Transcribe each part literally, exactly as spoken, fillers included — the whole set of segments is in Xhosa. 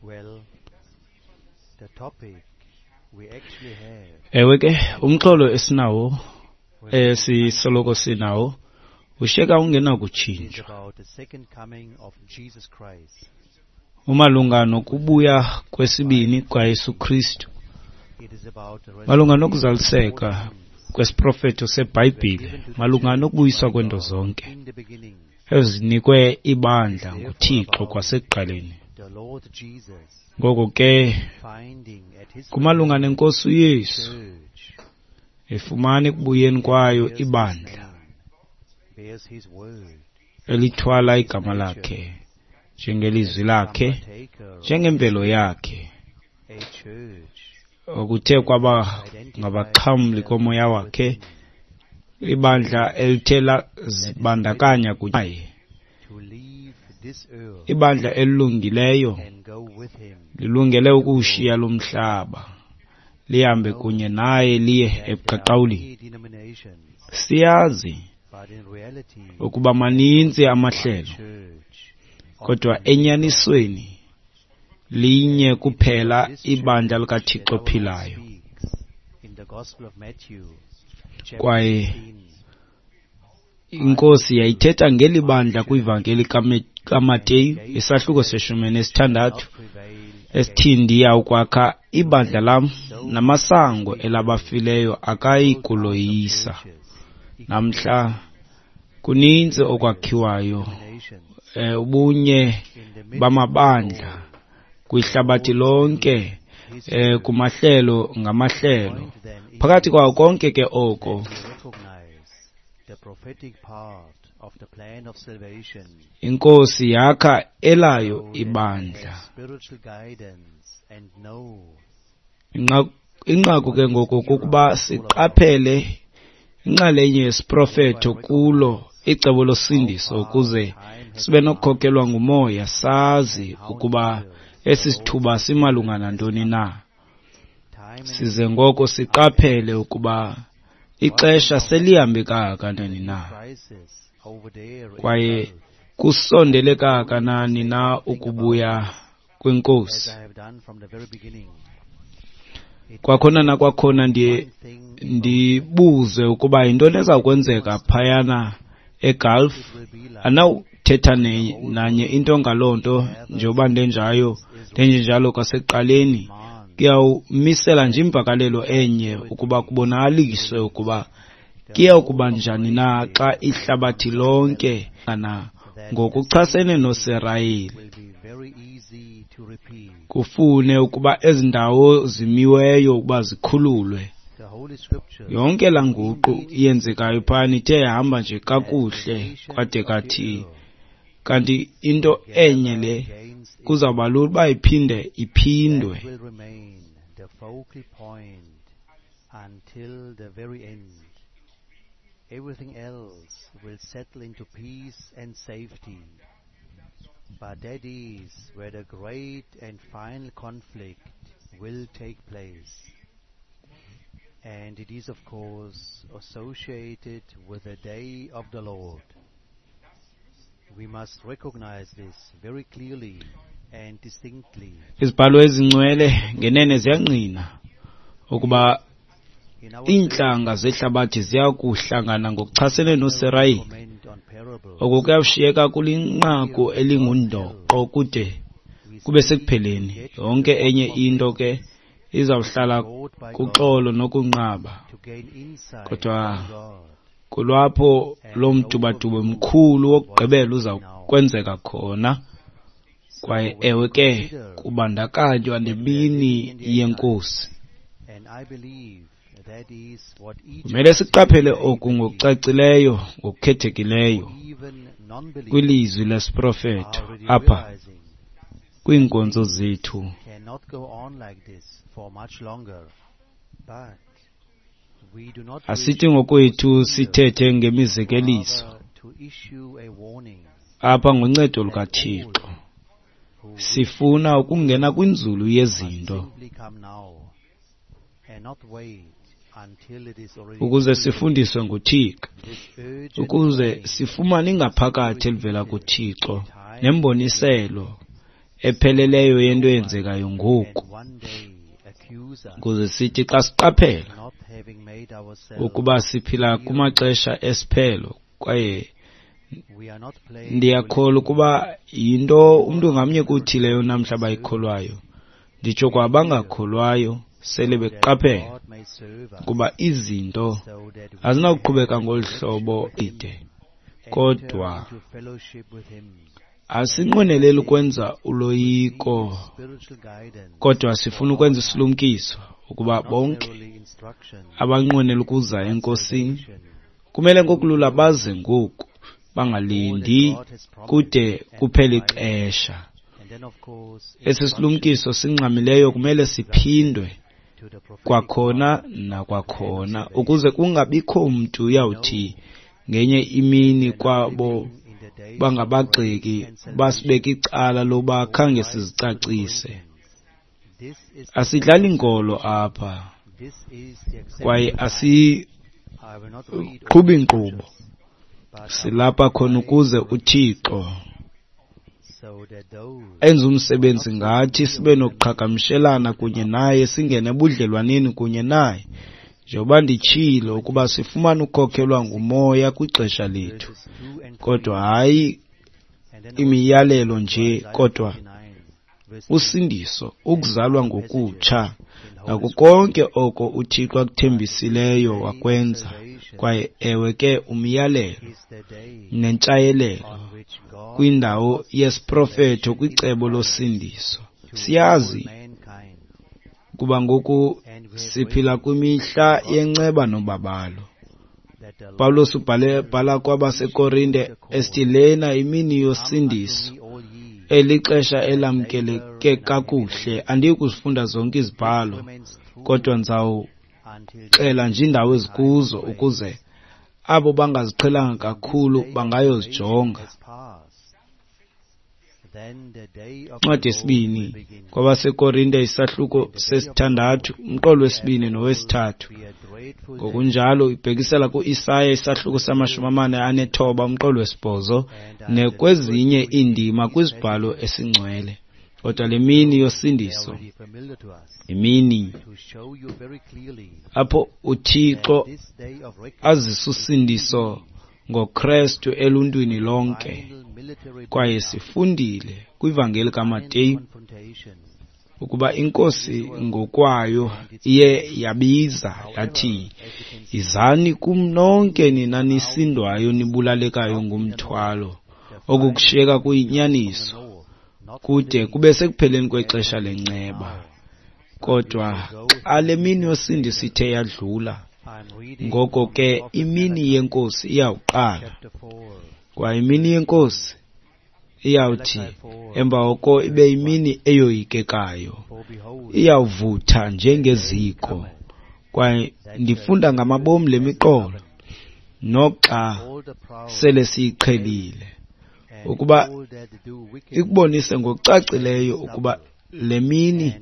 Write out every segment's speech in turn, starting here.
Well, the topic we actually have Ewe ke, umxholo esinawo esisoloko sinawo ushiyeka is ungenakutshintshwa. about the second coming of Jesus Christ. Umalunga nokubuya kwesibini kwaYesu Kristu. It is about the Malunga restoration of all nokuzaliseka things kwesiprofeto seBhayibhile, malunga nokubuyiswa kwento zonke in the beginning. ezinikwe ibandla nguThixo kwasekuqaleni. The Lord Jesus Ngoko ke finding at his kumalunga nenkosi uYesu church efumana ekubuyeni kwayo bears his ibandla name, bears his word, elithwala igama lakhe njengelizwi lakhe, partaker of njengemvelo yakhe, a church okuthe kwaba ngabaxhamli komoya wakhe, ibandla elithe lazibandakanya kuye, to leave this earth ibandla elilungileyo and go with him. lilungele ukuwushiya lo mhlaba lihambe kunye naye liye There are ebuqaqawulini. many denominations, Siyazi but in reality, ukuba maninzi amahlelo, church of kodwa the living enyanisweni linye kuphela This ibandla church likaThixo that our Lord ophilayo. speaks in the Gospel of Matthew, chapter Kwaye sixteen, iNkosi yayithetha ngeli bandla kwivangeli kaMe- kaMateyu isahluko seshumi nesithandathu not prevail esithi ndiya ukwakha ibandla lam namasango elabafileyo akayi kuloyisa. churches, Namhla kuninzi okwakhiwayo, nations eh, ubunye in the midst bamabandla kwihlabathi lonke, eh, kumahlelo ngamahlelo. point then is Phakathi kwawo konke ke oko we recognize the prophetic part of the plan of salvation iNkosi yakha elayo so that we ibandla. have spiritual guidance and know Inqaku inqaku ke ngoku kukuba siqaphele inxalenye yesiprofeto kulo icebo losindiso ukuze sibe nokukhokelwa ngumoya sazi ukuba esi sithuba simalunga nantoni na. time and Size ngoko siqaphele ukuba ixesha selihambe kangakanani na crisis over there in kwaye Gulf, kusondele kangakanani na ukubuya as kwenkosi. I have done from the very beginning. It Kwakhona nakwakhona ndiye one thing ndibuze ukuba yintoni eza kwenzeka phayana eGulf. it will be like Andinawuthetha ne- nanye into ngaloo nto njengoba ndenjayo ndenjenjalo kwasekuqaleni. command Kuyawumisela nje imvakalelo enye ukuba kubonakaliswe ukuba kuya kuba njani na xa ihlabathi lonke na ngokuchasene noSirayeli will be very easy to repeat. kufune ukuba ezi ndawo zimiweyo ukuba zikhululwe. The Holy Scriptures Yonke laa nguqu iyenzekayo phana ithe yahamba nje kakuhle kwade kathi kanti into enye le against kuzawuba lula uba iphinde iphindwe. that will remain the focal point until the very end. Everything else will settle into peace and safety. But that is where the great and final conflict will take place. And it is, of course, associated with the day of the Lord. We must recognize this very clearly and distinctly. Izibhalo ezingcwele ngenene ziyangqina ukuba In our iintlanga zehlabathi ziya kuhlangana ngokuchasene noSirayeli. comment on parables, Oku kuyawushiyeka kulinqaku elingundoqo kude we kube sekupheleni. Yonke enye into ke izawuhlala taught by God kuxolo nokunqaba. to gain insight Kodwa from God kulapho lo mtubatuba mkhulu wokugqibela uza kwenzeka khona. Kwaye ewe ke kubandakanywa nemini yenkosi. And I believe that is what each Kumele siqaphele oku ngokucacileyo ngokukhethekileyo even non-believers kwilizwi lesiprofeto are already apha realizing kwiinkonzo zethu. cannot go on like this for much longer. But we do not wish Asithi ngokwethu sithethe ngemizekeliso rather to issue a warning apha ngoncedo lukaThixo. who Sifuna ukungena kwinzulu yezinto simply come now and not wait until it is already ukuze too late. sifundiswe nguThixo, This urgent ukuze warning sifumane ingaphakathi elivela kuThixo nemboniselo epheleleyo yento eyenzekayo ngoku, ukuze sithi xa siqaphela ukuba siphila kumaxesha esiphelo. Kwaye ndiyakholwa ukuba yinto umntu ngamnye kuthi leyo namhla bayikholwayo, nditsho kwabangakholwayo sele beqaphela ukuba izinto azinakuqhubeka ngolu hlobo ide. Kodwa asinqweneleli ukwenza uloyiko, kodwa sifuna ukwenza isilumkiso ukuba bonke abanqwenela ukuza eNkosini kumele ngokulula baze ngoku, bangalindi kude kuphele ixesha. Esi silumkiso singxamileyo kumele siphindwe kwakhona nakwakhona, ukuze kungabikho mntu uyawuthi ngenye imini kwabo bangabagxeki basibeke icala loba khange sizicacise. Asidlali nkolo apha kwaye asiqhubi nkqubo. Silapha khona ukuze uThixo enze umsebenzi ngathi, sibe nokuqhagamshelana kunye naye, singene ebudlelwaneni kunye naye. Njengoba nditshilo ukuba sifumane ukhokhelwa nguMoya kwixesha lethu, kodwa hayi imiyalelo nje, kodwa usindiso, ukuzalwa ngokutsha, nako konke oko uThixo akuthembisileyo wakwenza. Kwaye ewe ke, umyalelo nentshayelelo kwindawo yesiprofeto kwicebo losindiso. Siyazi kuba ngoku siphila kwimihla yenceba nobabalo. Pawulos ubhale bhala kwabaseKorinte esithi lena imini yosindiso, elixesha elamkeleke kakuhle. Andiyi kuzifunda zonke izibhalo, kodwa ndizawuxela nje iindawo ezikuzo ukuze abo bangaziqhelanga kakhulu bangayozijonga. Incwadi yesibini kwabaseKorinte isahluko sesithandathu, umqolo wesibini nowesithathu. Ngokunjalo ibhekisela ku-Isaya isahluko samashumi amane anethoba, umqolo wesibhozo, nekwezinye iindima kwizibhalo esingcwele. Kodwa le mini yosindiso imini apho uThixo azisa usindiso ngoKrestu eluntwini lonke. Kwaye sifundile kwivangeli kaMateyu ukuba iNkosi ngokwayo iye yabiza yathi, "Yizani kum nonke nina nisindwayo nibulalekayo ngumthwalo." Oku kushiyeka kuyinyaniso kude kube sekupheleni kwexesha lenceba. Kodwa xa le mini yosindiso ithe yadlula, ngoko ke imini yeNkosi iyawuqala. Kwaye imini yeNkosi iyawuthi emva koko ibe yimini eyoyikekayo, iyawuvutha njengeziko. Kwaye ndifunda ngamabomu le miqolo, noxa sele siyiqhelile, ukuba ikubonise ngokucacileyo ukuba le mini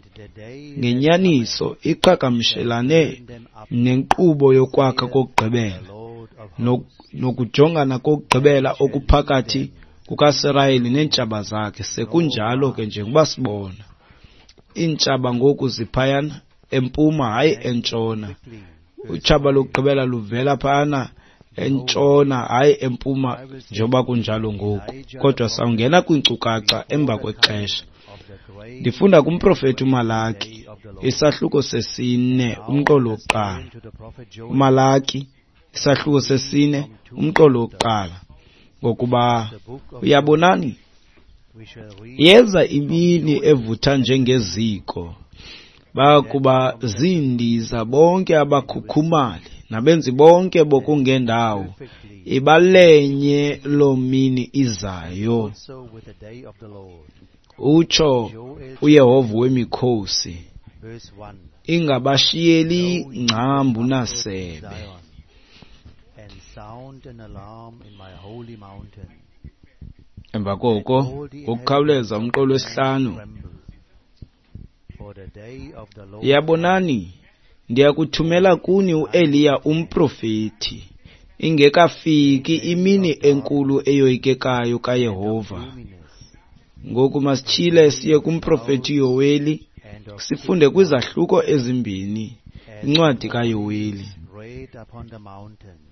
ngenyaniso iqhagamshelane nenkqubo yokwakha kokugqibela nokujongana kokugqibela okuphakathi kukaSirayeli neentshaba zakhe. Sekunjalo ke, njengoba sibona iintshaba ngoku ziphayana empuma, hayi entshona. Utshaba lokugqibela luvela phayana entshona, hayi empuma, njengoba kunjalo ngoku. Kodwa sawungena kwiinkcukacha emva kwexesha. Ndifunda kumprofethi uMalaki isahluko sesine, umqolo wokuqala. UMalaki isahluko sesine, umqolo wokuqala. Ngokuba uyabonani, yeza imini evutha njengeziko, bayakuba ziindiza bonke abakhukhumali nabenzi bonke bokungendawo, ibalenye loo mini izayo, utsho uYehova wemikhosi, ingabashiyeli ngcambu nasebe. Emva koko, ngokukhawuleza umqolo wesihlanu, yabonani, ndiyakuthumela kuni uEliya umprofeti, ingekafiki imini enkulu eyoyikekayo kaYehova. Ngoku masityhile siye kumprofeti Yoweli, sifunde kwizahluko ezimbini incwadi kaYoweli.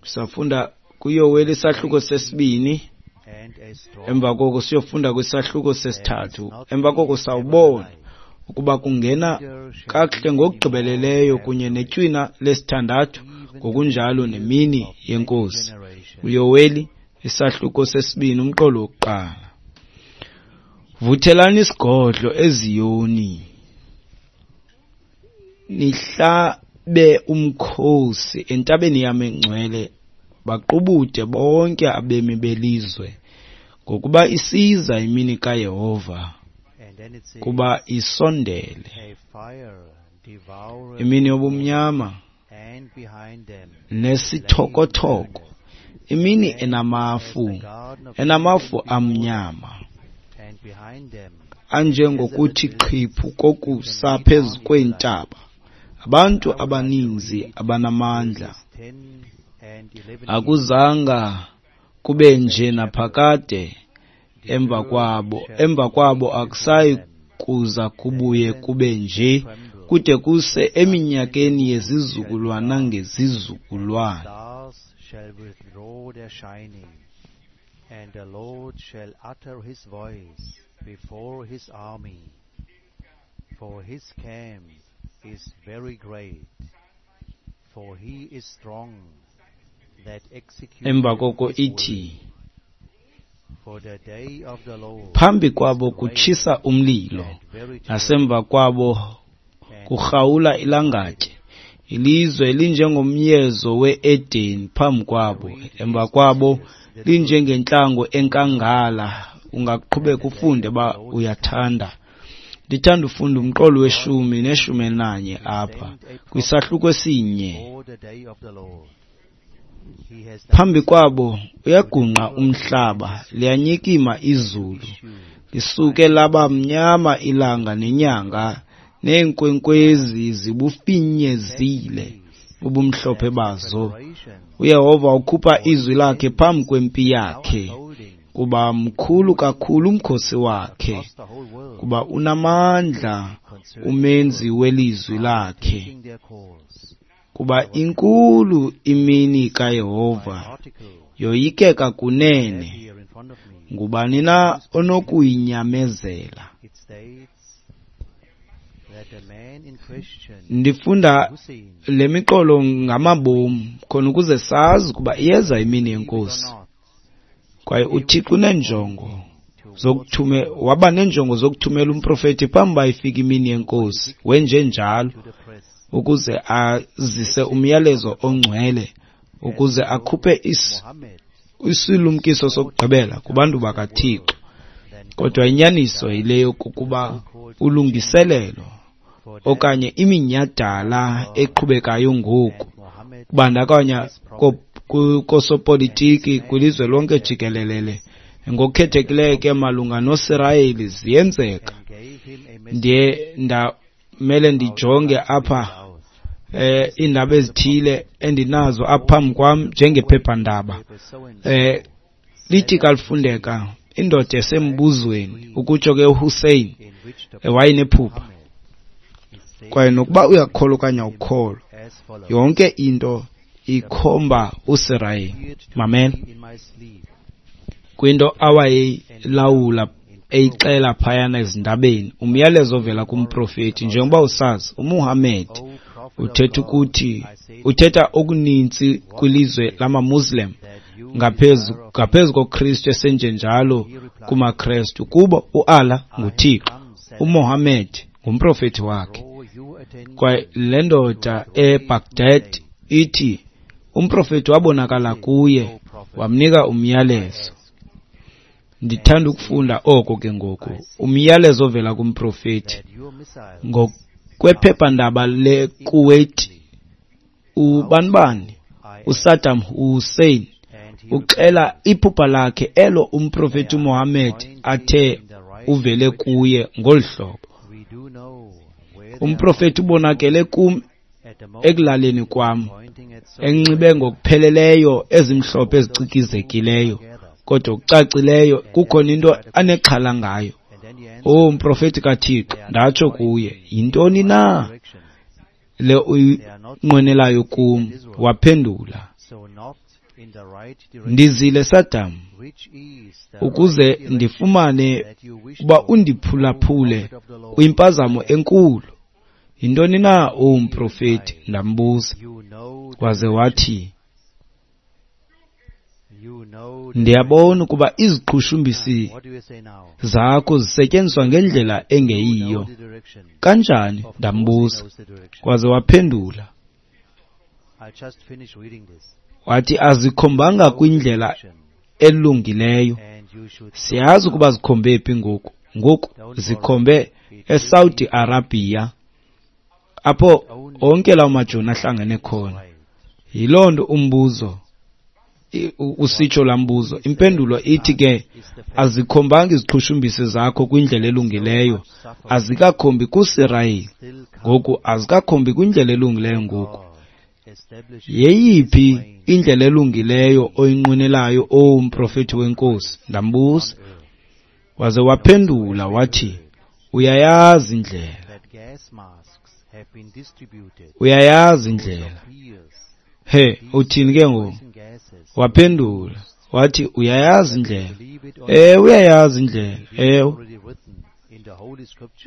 Safunda kuYoweli isahluko sesibini, emva koko siyofunda kwisahluko sesithathu. Emva koko sawubona ukuba kungena kakuhle ngokugqibeleleyo kunye netywina lesithandathu, ngokunjalo nemini yeNkosi. UYoweli isahluko sesibini, umqolo wokuqala. Vuthelani isigodlo eZiyoni, nihlabe umkhosi entabeni yam engcwele, baqubude bonke abemi belizwe, ngokuba isiza imini kaYehova, kuba isondele, imini yobumnyama nesithokothoko, imini enamafu, enamafu amnyama, anjengokuthi qhiphu kokusa phezu kweentaba. Abantu abaninzi abanamandla akuzanga kube nje naphakade, emva kwabo emva kwabo akusayi kuza kubuye kube nje kude kuse eminyakeni yezizukulwana ngezizukulwana. And the Lord shall utter his voice before his army, for his camp is very great, for he is strong that executeth Emva koko his will. ithi, For the day of the Lord phambi is kwabo great kutshisa umlilo, and very terrible, nasemva kwabo and kurhawula ilangatye. Ilizwe linjengomyezo we-Edeni phambi kwabo, emva kwabo linjengentlango enkangala. Ungaqhubeka ufunde uba uyathanda. Ndithanda ufunda umqolo weshumi neshumi elinanye apha kwisahluko esinye. for the day of the Lord. He has Phambi kwabo uyagungqa umhlaba, liyanyikima izulu, lisuke laba mnyama ilanga nenyanga, neenkwenkwezi zibufinyezile ubumhlophe bazo. UYehova ukhupha izwi lakhe phambi kwempi yakhe, kuba mkhulu kakhulu umkhosi wakhe, kuba unamandla umenzi welizwi lakhe, kuba inkulu imini kaYehova, yoyikeka kunene. Ngubani na onokuyinyamezela? It states that the man in question, Ndifunda Hussein, le miqolo ngamabomu khona ukuze sazi ukuba iyeza imini yeNkosi, or not, kwaye uThixo uneenjongo zokuthume waba neenjongo zokuthumela umprofeti phambi uba ifike imini yeNkosi. Wenjenjalo to the press, ukuze azise umyalezo ongcwele, ukuze akhuphe is, Muhammad, isilumkiso sokugqibela kubantu bakaThixo. then Kodwa inyaniso yile yokokuba ulungiselelo for that okanye iminyhadala eqhubekayo ngoku, Muhammad kubandakanya ko- ku- kosopolitiki kwilizwe lonke jikelele, ngokukhethekileyo ke malunga noSirayeli, ziyenzeka. and gave him a message Ndiye ndamele ndijonge apha eh iindaba ezithile endinazo apha phambi kwam njengephephandaba. paper so and so Eh lithi kalifundeka indoda esembuzweni, ukutsho ke uHussein, in which the eh, wayenephupha, Muhammad is said kwaye nokuba uyakholwa okanye awukholwa, as follows. yonke into ikhomba uSirayeli. Appeared to Mamela me in my sleep, kwinto awayeyilawula eyixela phayana ezindabeni, umyalezo ovela kumprofeti. Njengoba usazi, uMuhammad O prophet of uthetha God, ukuthi I say uthetha okuninzi kwilizwe lamaMuslim that you ngaphezu desire of ngaphezu koKristu esenjenjalo kumaKristu. Kubo uAllah nguThixo, uMohammed ngumprofeti wakhe. draw your attention Kwaye le ndoda eBaghdad ithi umprofeti wabonakala kuye wamnika umyalezo. Ndithanda ukufunda oko ke ngoku, umyalezo ovela kumprofeti. that your missiles Ngokwephephandaba leKuwait, ubanibani I uSaddam Hussein and he uxela iphupha lakhe elo umprofeti uMohammed athe uvele kuye ngolu hlobo. we do know where they Umprofeti ubonakele kum are at the moment ekulaleni kwam, pointing at so enxibe ngokupheleleyo ezimhlophe ezicikizekileyo, kodwa okucacileyo kukhona into anexhala ngayo. and O mprofeti kaThixo, ndatsho kuye, yintoni na le uyinqwenelayo kum? Waphendula, ndizile Saddam ukuze ndifumane uba undiphulaphule kwimpazamo enkulu. Yintoni na, o mprofeti? Ndambuza. Waze wathi, ndiyabona ukuba iziqhushumbisi zakho zisetyenziswa ngendlela engeyiyo. Kanjani? Ndambuza. Waze waphendula wathi, azikhombanga kwindlela elungileyo. Siyazi ukuba zikhombe phi ngoku. Ngoku zikhombe eSaudi Arabia, apho onke lawo majoni ahlangene khona. Yiloo nto umbuzo usitsho laa mbuzo. Impendulo ithi ke, azikhombanga iziqhushumbisi zakho kwindlela elungileyo, azikakhombi kuSirayeli ngoku, azikakhombi kwindlela elungileyo ngoku. Yeyiphi indlela elungileyo oyinqwenelayo, o mprofeti wenkosi? Ndambuza. Waze waphendula wathi, uyayazi indlela, uyayazi indlela. He, uthini ke ngoku? Waphendula wathi, uyayazi indlela. Ewe, uyayazi indlela. Ewe,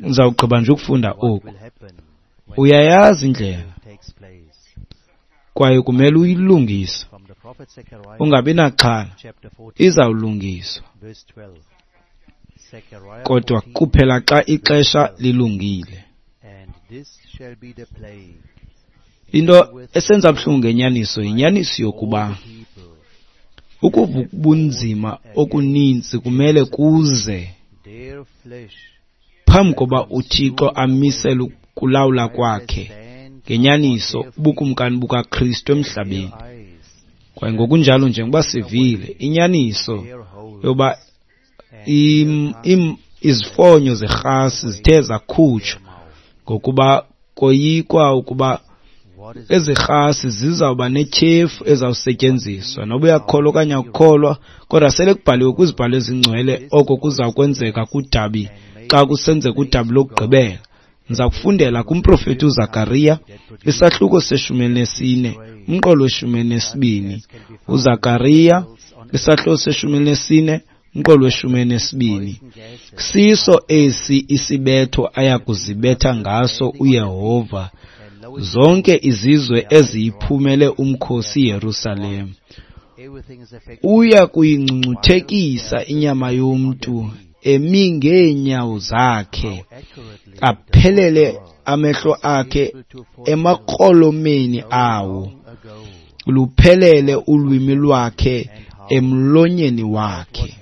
ndizawugqiba nje ukufunda oku. Uyayazi indlela kwaye kumele uyilungise, ungabi naxhala, izawulungiswa, kodwa kuphela xa ixesha lilungile. Into esenza buhlungu ngenyaniso yinyaniso yokuba ukuva ubunzima okuninzi kumele kuze phambi koba uThixo amisele ukulawula kwakhe ngenyaniso ubukumkani bukaKristu emhlabeni. Kwaye ngokunjalo, njengoba sivile inyaniso yoba izifonyo zerhasi zithe zakhutshwa ngokuba koyikwa ukuba ezi rhasi zizawuba netyhefu ezawusetyenziswa, noba uyakholwa okanye akukholwa, kodwa sele kubhaliwe kwizibhalo ezingcwele oko kuza kwenzeka kudabi xa kusenzeka udabi lokugqibela. Ndiza kufundela kumprofeti uZakariya isahluko seshumi elinesine umqolo weshumi elinesibini. UZakariya isahluko seshumi elinesine umqolo weshumi elinesibini. Siso esi isibetho aya kuzibetha ngaso uYehova zonke izizwe eziyiphumele umkhosi Yerusalem. Uya kuyingcungcuthekisa inyama yomntu emi ngeenyawo zakhe, aphelele amehlo akhe emakrolomeni awo, luphelele ulwimi lwakhe emlonyeni wakhe.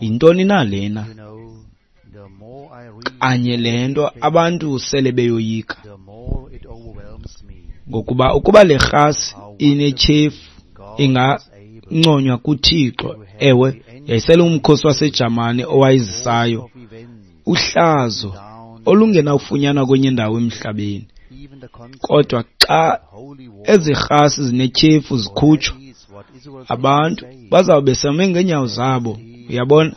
Yintoni na lena? Kanye le nto abantu sele beyoyika, ngokuba ukuba le rhasi inetyhefu inganconywa kuThixo. Ewe, yayisele umkhosi waseJamani owayizisayo, uhlazo olungenawufunyanwa kwenye indawo emhlabeni. Kodwa xa ezi rhasi zinetyhefu zikhutshwa, abantu bazawube same ngeenyawo zabo. Uyabona?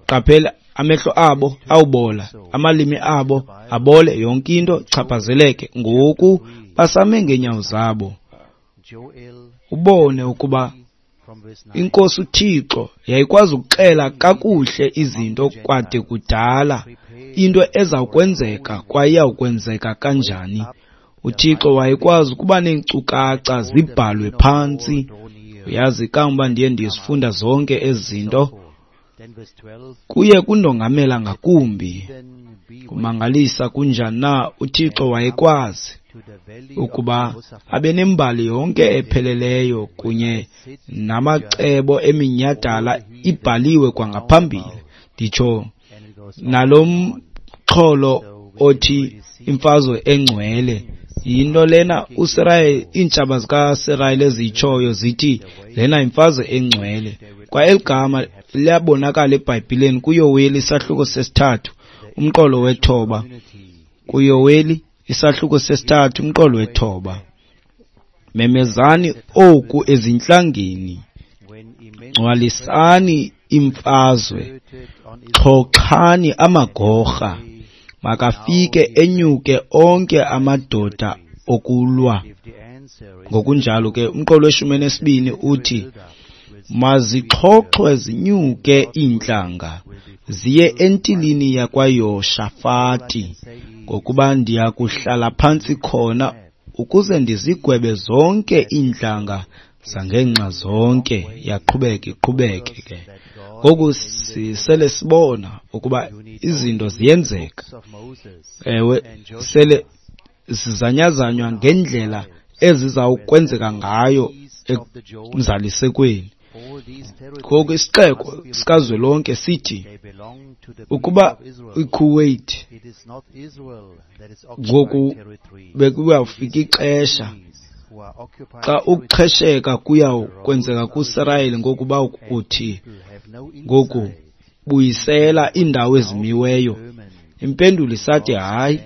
Qaphela, amehlo abo awubola, amalimi abo abole, yonke into chaphazeleke. Ngoku basame ngeenyawo zabo. Ubone ukuba iNkosi uThixo yayikwazi ukuxela kakuhle izinto kwade kudala, into ezawukwenzeka kwaye iyawukwenzeka kanjani. uThixo wayekwazi ukuba neenkcukacha zibhalwe phantsi. Uyazi kangoba ndiye ndiyezifunda zonke ezi zinto, kuye kundongamela ngakumbi. Kumangalisa kunjani na uThixo wayekwazi ukuba abe nembali yonke epheleleyo kunye namacebo eminyhadala ibhaliwe kwangaphambili. Nditsho nalo mxholo othi imfazwe engcwele. Yinto lena uSirayeli, iintshaba zikaSirayeli eziyitshoyo zithi lena imfazwe engcwele. Kwa eli gama liyabonakala eBhayibhileni kuYoweli isahluko sesithathu umqolo wethoba. KuYoweli isahluko sesithathu umqolo wethoba. Memezani oku ezintlangeni, ngcwalisani imfazwe, xhoxhani amagorha, makafike enyuke onke amadoda okulwa. Ngokunjalo ke umqolo weshumi nesibini uthi, mazixhoxhwe zinyuke iintlanga ziye entilini yakwaYoshafati, ngokuba ndiya kuhlala phantsi khona ukuze ndizigwebe zonke iintlanga zangeenxa zonke. Yaqhubeka iqhubeke ke. Ngoku sisele sibona ukuba izinto ziyenzeka. Ewe, sele zizanyazanywa ngendlela ezizawukwenzeka ngayo emzalisekweni. Ngoku isixeko sikazwelonke sithi ukuba iKuwait ngoku bekuyawufika ixesha xa ukuxhesheka kuyawukwenzeka kuSirayeli, ngokuba kuthi ngoku buyisela iindawo ezimiweyo. Impendulo isathi hayi.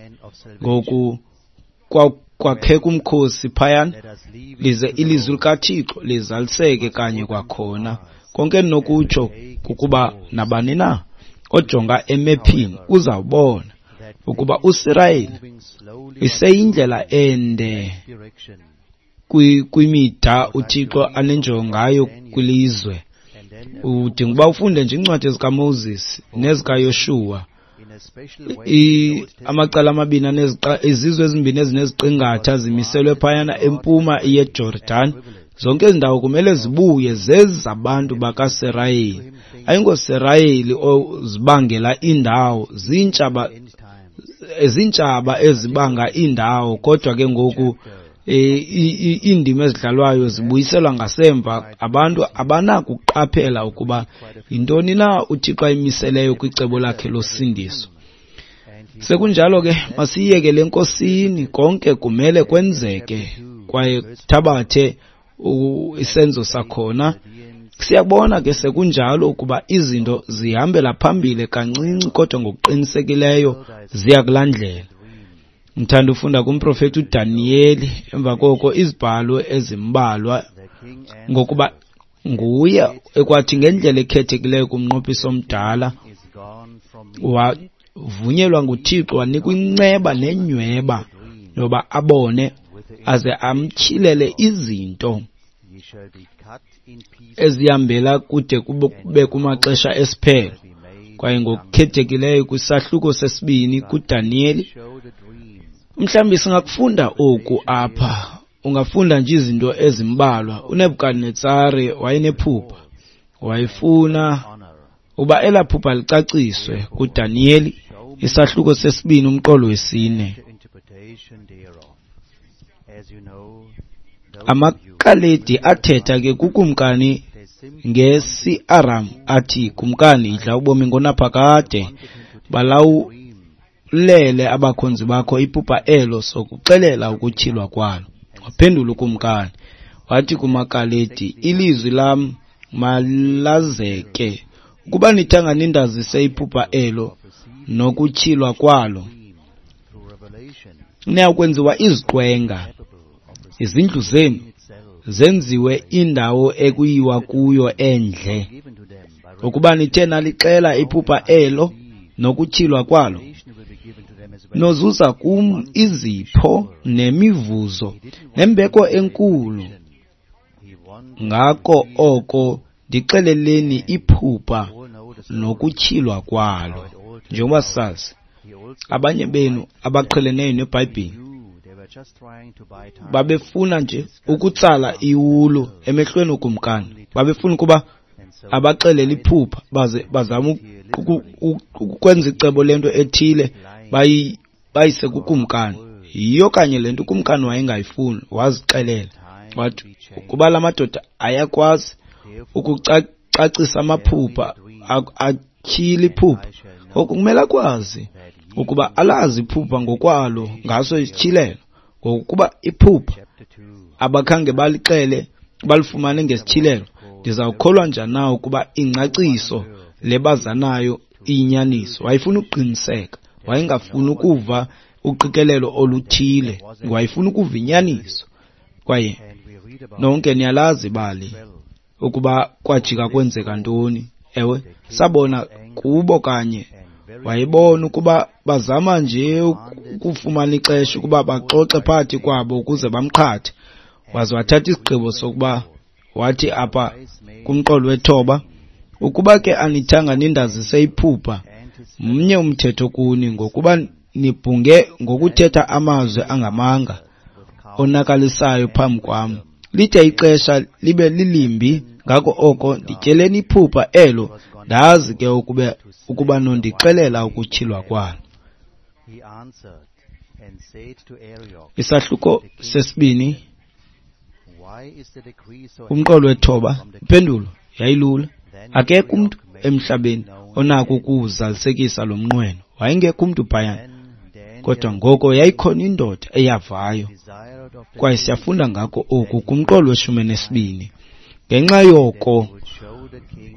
Ngoku kwakheka umkhosi phayana, lize ilizwi likaThixo lizaliseke kanye kwakhona. Konke endinokutsho kukuba nabani na ojonga emephini uzawubona ukuba uSirayeli iseyindlela ende kwimida uThixo anenjongo ngayo kwilizwe. Udinga uba ufunde nje iincwadi zikaMoses nezikaYoshuwa. Amacala amabini aneziqa izizwe ezimbini ezineziqingatha zimiselwe phayana empuma yeJordan. Zonke ezi ndawo kumele zibuye zezabantu bakaSirayeli. AyingoSirayeli ozibangela iindawo, ziintshaba ziintshaba ezibanga iindawo, kodwa ke ngoku iindima ezidlalwayo zibuyiselwa ngasemva. Abantu abanakuqaphela ukuba yintoni na uThixo ayimiseleyo kwicebo lakhe losindiso. Sekunjalo ke, masiyiyekele eNkosini, konke kumele kwenzeke kwaye kuthabathe isenzo sakhona. Siyabona ke sekunjalo ukuba izinto zihambela phambili kancinci, kodwa ngokuqinisekileyo ziya kulaa ndlela. Ngithanda ufunda kumprofeti uDaniyeli emva koko izibhalo ezimbalwa, ngokuba nguye ekwathi ngendlela ekhethekileyo kumnqophiso omdala wavunyelwa nguThixo, wanikwa inceba nenyweba yoba abone aze amtyhilele izinto ezihambela kude kube kumaxesha esiphelo. Kwaye ngokukhethekileyo kwisahluko sesibini kuDaniyeli, mhlawumbi singakufunda oku apha. Ungafunda nje izinto ezimbalwa. UNebukadnetsare wayenephupha, wayefuna uba elaa phupha licaciswe. KuDaniyeli isahluko sesibini umqolo wesine. AmaKaledi athetha ke kukumkani ngesi-Aram athi, Kumkani, idla ubomi ngonaphakade, balawulele abakhonzi bakho iphupha elo, sokuxelela ukutyhilwa kwalo. Waphendula ukumkani wathi kumaKaledi, ilizwi lam malazeke, ukuba nithanga nindazise iphupha elo nokutyhilwa kwalo, niyakwenziwa iziqwenga, izindlu zenu zenziwe indawo ekuyiwa kuyo endle. Ukuba nithe nalixela iphupha elo nokutyhilwa kwalo, nozuza kum izipho nemivuzo nembeko enkulu. Ngako oko ndixeleleni iphupha nokutyhilwa kwalo. Njengoba sisazi, abanye benu abaqheleneyo neBhayibhile babefuna nje ukutsala iwulu emehlweni okumkani. Babefuna ukuba abaxelele iphupha baze bazame ukwenza icebo lento ethile bayise kukumkani. Yiyo kanye le nto ukumkani wayengayifuni, wazixelela wathi ukuba la madoda ayakwazi ukucacisa amaphupha, atyhile iphupha, ngoku kumele akwazi ukuba alazi iphupha ngokwalo ngaso isityhilelo. Ngokuba iphupha abakhange balixele balifumane ngesityhilelo, ndizawukholwa njani na ukuba ingcaciso le bazanayo iyinyaniso? Wayefuna ukuqiniseka, wayengafuni ukuva uqikelelo oluthile, wayefuna ukuva inyaniso. Kwaye nonke niyalazi ibali ukuba kwajika kwenzeka ntoni Ewe, sabona kubo kanye. Wayebona ukuba bazama nje ukufumana ixesha ukuba baxoxe phakathi kwabo ukuze bamqhathe. Waze wathatha isigqibo sokuba wathi apha kumqolo wethoba, ukuba ke anithanga nindazise iphupha, mnye umthetho kuni, ngokuba nibhunge ngokuthetha amazwi angamanga onakalisayo phambi kwam. Lithe ixesha libe lilimbi, ngako oko ndityeleni iphupha elo, ndazi ke ukube ukuba nondixelela ukutyhilwa kwalo. Isahluko sesibini, umqolo wethoba. Impendulo yayilula. Akekho umntu emhlabeni onako ukuwuzalisekisa lo mnqweno. Wayengekho umntu phayana. Kodwa ngoko yayikhona indoda eyavayo, kwaye siyafunda ngako oku kumqolo weshumi nesibini. Ngenxa yoko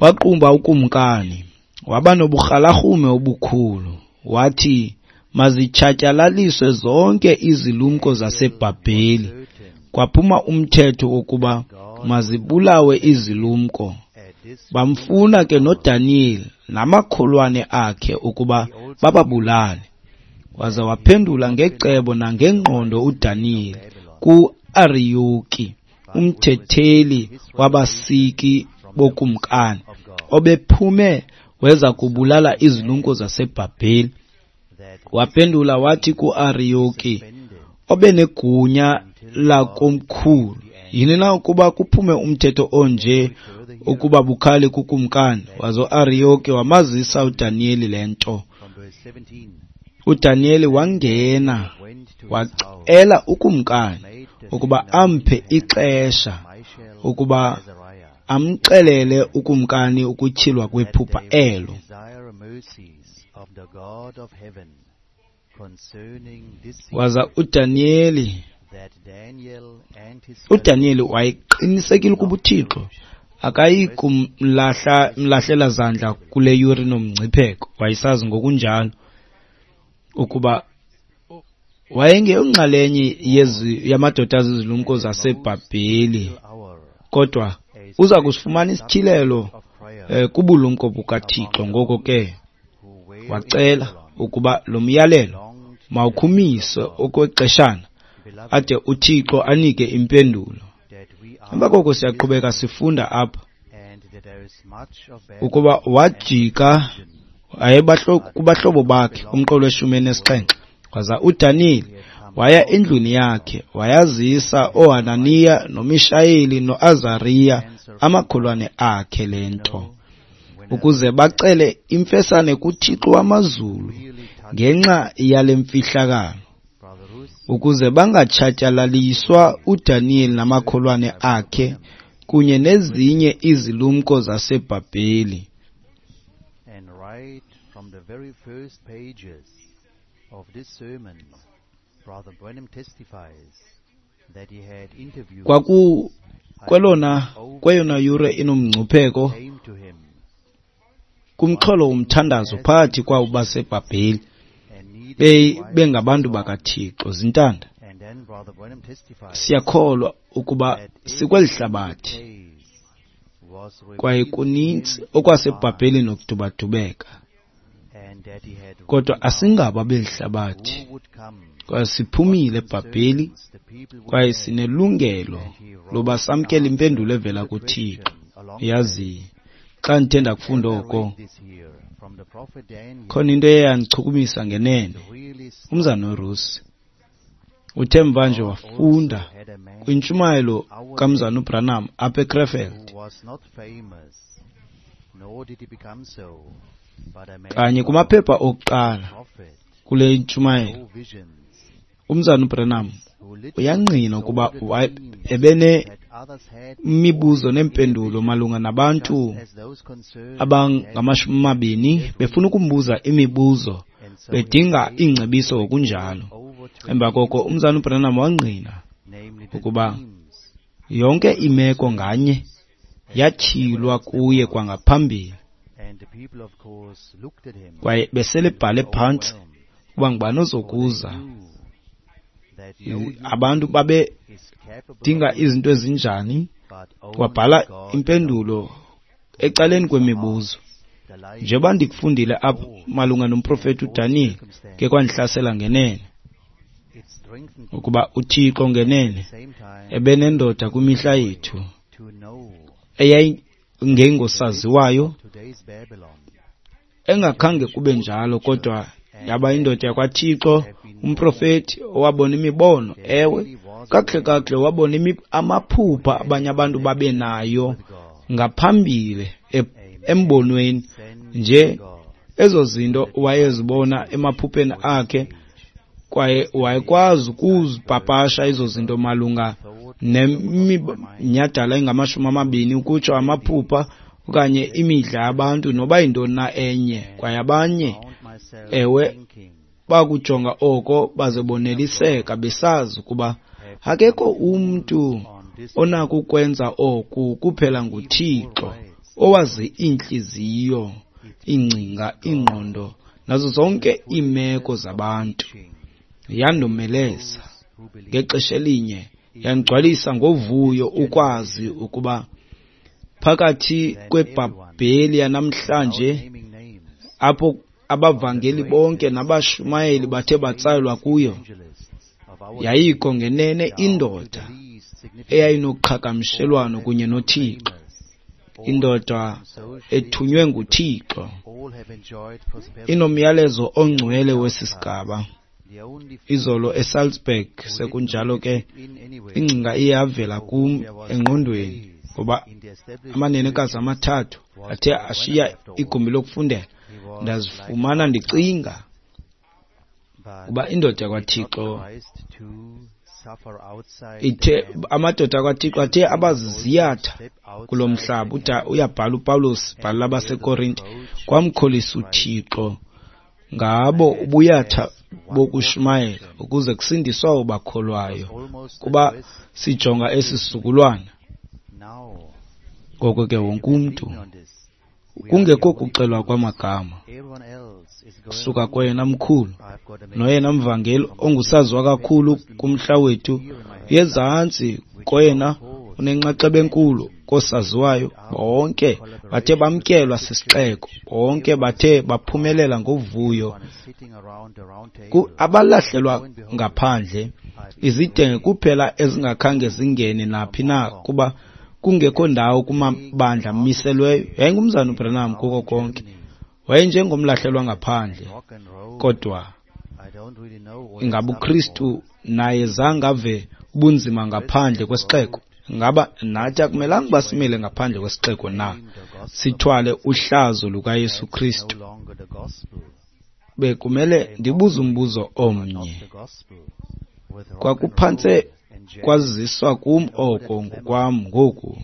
waqumba ukumkani, waba noburhalarhume obukhulu, wathi mazitshatyalaliswe zonke izilumko zaseBhabheli. Kwaphuma umthetho wokuba mazibulawe izilumko. Bamfuna ke noDaniyeli namakholwane akhe ukuba bababulale. Waza waphendula ngecebo nangengqondo uDaniyeli ku-Ariyoki, umthetheli wabasiki bokumkani, obephume weza kubulala izilumko zaseBhabheli. Waphendula wathi ku-Ariyoki, obenegunya lakomkhulu, yini na ukuba kuphume umthetho onje ukuba bukhali kukumkani? Waza uAriyoki wamazisa uDaniyeli le nto. UDaniyeli wangena wacela ukumkani ukuba amphe ixesha ukuba amxelele ukumkani ukutyhilwa kwephupha elo. Waza uDaniyeli uDaniyeli wayeqinisekile ukuba uThixo akayi kumlahla mlahlela zandla kule yure nomngcipheko. Wayesazi ngokunjalo ukuba wayengeyonxalenye yezi yamadoda azizilumko zaseBhabheli, kodwa uza kusifumana isityhilelo eh, kubulumko bukaThixo. Ngoko ke wacela ukuba lo myalelo mawukhumiswe okwexeshana ade uThixo anike impendulo. Emva koko siyaqhubeka sifunda apha ukuba wajika kubahlobo bakhe kumqolo weshumi elinesixhenxe. Waza uDaniyeli waya endlwini yakhe, wayazisa ooHananiya noMishayeli noAzariya amakholwane akhe le nto, ukuze bacele imfesane kuThixo wamazulu ngenxa yale mfihlakalo, ukuze bangatshatyalaliswa uDaniyeli namakholwane akhe kunye nezinye izilumko zaseBhabheli. And right from the very first pages of this sermon, Brother Branham testifies that he had interviews Kwaku kwelona kweyona yure inomngcipheko came to him kumxholo womthandazo phakathi kwabo baseBhabheli and needed be bengabantu bakaThixo. Zintanda, And then Brother Branham testifies siyakholwa ukuba sikweli hlabathi case was kwaye revealed to kuninzi him okwasebhabheli nokudubadubeka, and that he had kodwa asingabo abeli hlabathi, who would come kwaye siphumile eBhabheli, the people would kwaye sinelungelo loba samkele impendulo evela kuThixo. Yazi, xa ndithe ndakufunda oko, this here from the prophet Daniel khona into eyandichukumisa ngenene. really Umzana uRusi uthe mvanje wafunda had a man kwintshumayelo kamzana uBranham apha eKrefeld, who was not famous, nor did he become so, but a man kanye kumaphepha okuqala prophet, kule ntshumayelo. no visions, Umzana uBranham who literally uyangqina ukuba saw the wa- dreams ebene that others had mibuzo neempendulo malunga nabantu as those concerned abangamashumi amabini befuna ukumbuza imibuzo and so bedinga iingcebiso ngokunjalo. over twenty, Emva koko umzana uBranham wangqina namely the ukuba dreams yonke imeko nganye yatyhilwa kuye kwangaphambili, and the people of course looked at him kwaye beselebhale phantsi ukuba ngubani ozokuza. knew that no I- Abantu babedinga is capable izinto ezinjani. but only Wabhala God impendulo ecaleni kwemibuzo. Njengoba ndikufundile apha malunga nomprofeti uDaniyeli, ke kwandihlasela ngenene ukuba uThixo ngenene ebenendoda kwimihla yethu eyayingengosaziwayo, engakhange kube njalo, kodwa yaba indoda yakwaThixo, umprofeti owabona imibono. Ewe, kakuhle kakuhle wabona amaphupha abanye abantu babenayo ngaphambili embonweni nje, ezo zinto wayezibona emaphupheni akhe, kwaye wayekwazi ukuzipapasha ezo zinto malunga neminyhadala engamashumi amabini, ukutsho amaphupha okanye imidla yabantu noba yintoni na enye. Kwaye abanye, ewe, bakujonga oko baze boneliseka besazi ukuba akekho umntu onako ukwenza oku kuphela nguThixo, owazi iintliziyo, iingcinga, iingqondo nazo zonke iimeko zabantu. Yandomeleza ngexesha elinye, yandigcwalisa ngovuyo ukwazi ukuba phakathi kweBhabheli yanamhlanje, apho abavangeli bonke nabashumayeli bathe batsalwa kuyo, yayikho ngenene indoda eyayinoqhagamshelwano kunye noThixo, indoda ethunywe nguThixo, inomyalezo ongcwele wesi sigaba. Izolo eSalzburg, sekunjalo ke, ingcinga iye yavela kum engqondweni, ngoba amanenekazi amathathu athe ashiya igumbi lokufundela, ndazifumana ndicinga uba indoda yakwaThixo ithe, amadoda akwaThixo athe abaziziyatha kulo mhlaba. Uda uyabhala uPawulos, bhala abaseKorinte, kwamkholisa uThixo ngabo ubuyatha bokushumayela ukuze kusindiswe abo bakholwayo. Kuba sijonga esi sizukulwana, ngoko ke wonke umntu, kungekho kuxelwa kwamagama, kusuka koyena mkhulu noyena mvangeli ongusaziwa kakhulu kumhla wethu, yezantsi koyena unenxaxheba enkulu kosaziwayo, bonke bathe bamkelwa sisixeko, bonke bathe baphumelela ngovuyo. Abalahlelwa ngaphandle, izidenge kuphela ezingakhange zingene naphi na, kuba kungekho ndawo kumabandla amiselweyo. Yayingumzana uBranham kuko konke, wayenjengomlahlelwa ngaphandle, kodwa ingaba uKristu naye zange ave ubunzima ngaphandle kwesixeko? Ngaba nathi akumelanga uba simele ngaphandle kwesixeko na, sithwale uhlazo lukaYesu Kristu? Bekumele ndibuze umbuzo omnye. Kwakuphantse kwaziswa kum oko ngokwam ngoku,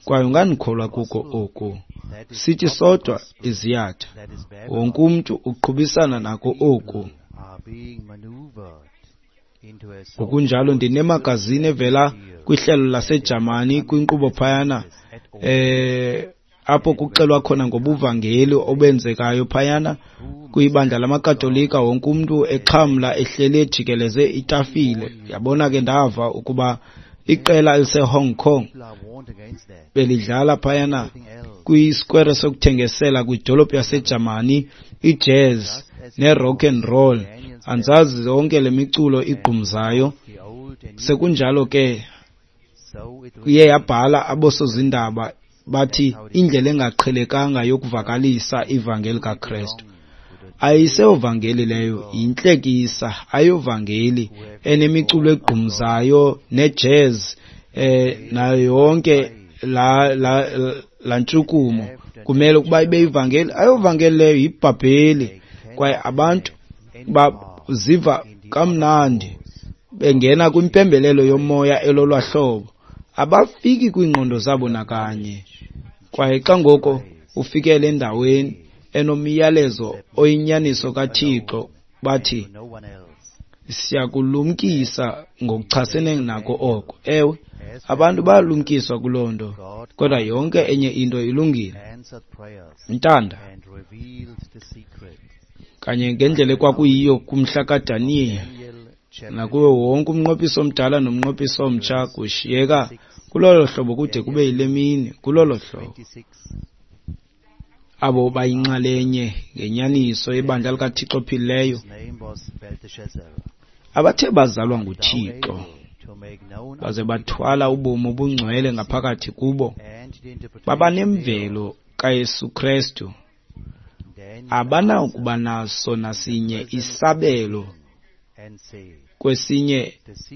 kwaye ungandikholwa kuko oku. Sithi sodwa iziyatha, wonke umntu uqhubisana nako oku. Ngokunjalo ndinemagazini evela kwihlelo laseJamani kwinkqubo phayana, eh apho kuxelwa khona ngobuvangeli obenzekayo phayana kwibandla lamaKatolika, wonke umntu exhamla ehleli ejikeleze itafile. Yabona ke, ndava ukuba iqela eliseHong Kong belidlala phayana kwisquare sokuthengisela kwidolophu yaseJamani, ijazz ne-rock and roll, andizazi zonke le miculo igqumzayo. Sekunjalo ke iye yabhala abosozindaba bathi indlela engaqhelekanga yokuvakalisa ivangeli kaKristu. Ayiseyovangeli leyo, yintlekisa, ayovangeli enemiculo egqumzayo nejazz eh nayo yonke la la la ntshukumo. Kumele ukuba ibe ivangeli, ayovangeli leyo, yibhabheli. Kwaye abantu baziva kamnandi bengena kwimpembelelo yomoya elolwa hlobo, abafiki kwiingqondo zabo nakanye. Kwaye xa ngoko ufikele endaweni enomyalezo oyinyaniso kaThixo, bathi siyakulumkisa ngokuchasene nako oko. Ewe, abantu bayalumkiswa kuloo nto, kodwa yonke enye into ilungile. Ntanda kanye ngendlela ekwakuyiyo kumhla kaDaniyeli, nakuwo wonke umnqophiso omdala nomnqophiso omtsha, kushiyeka kulolo hlobo kude kube yile mini, kulolo hlobo. Abo bayinxalenye ngenyaniso yebandla likaThixo ophilileyo, abathe bazalwa nguThixo baze bathwala ubomi obungcwele ngaphakathi kubo, babanemvelo kaYesu Krestu, abanakuba naso nasinye isabelo kwesinye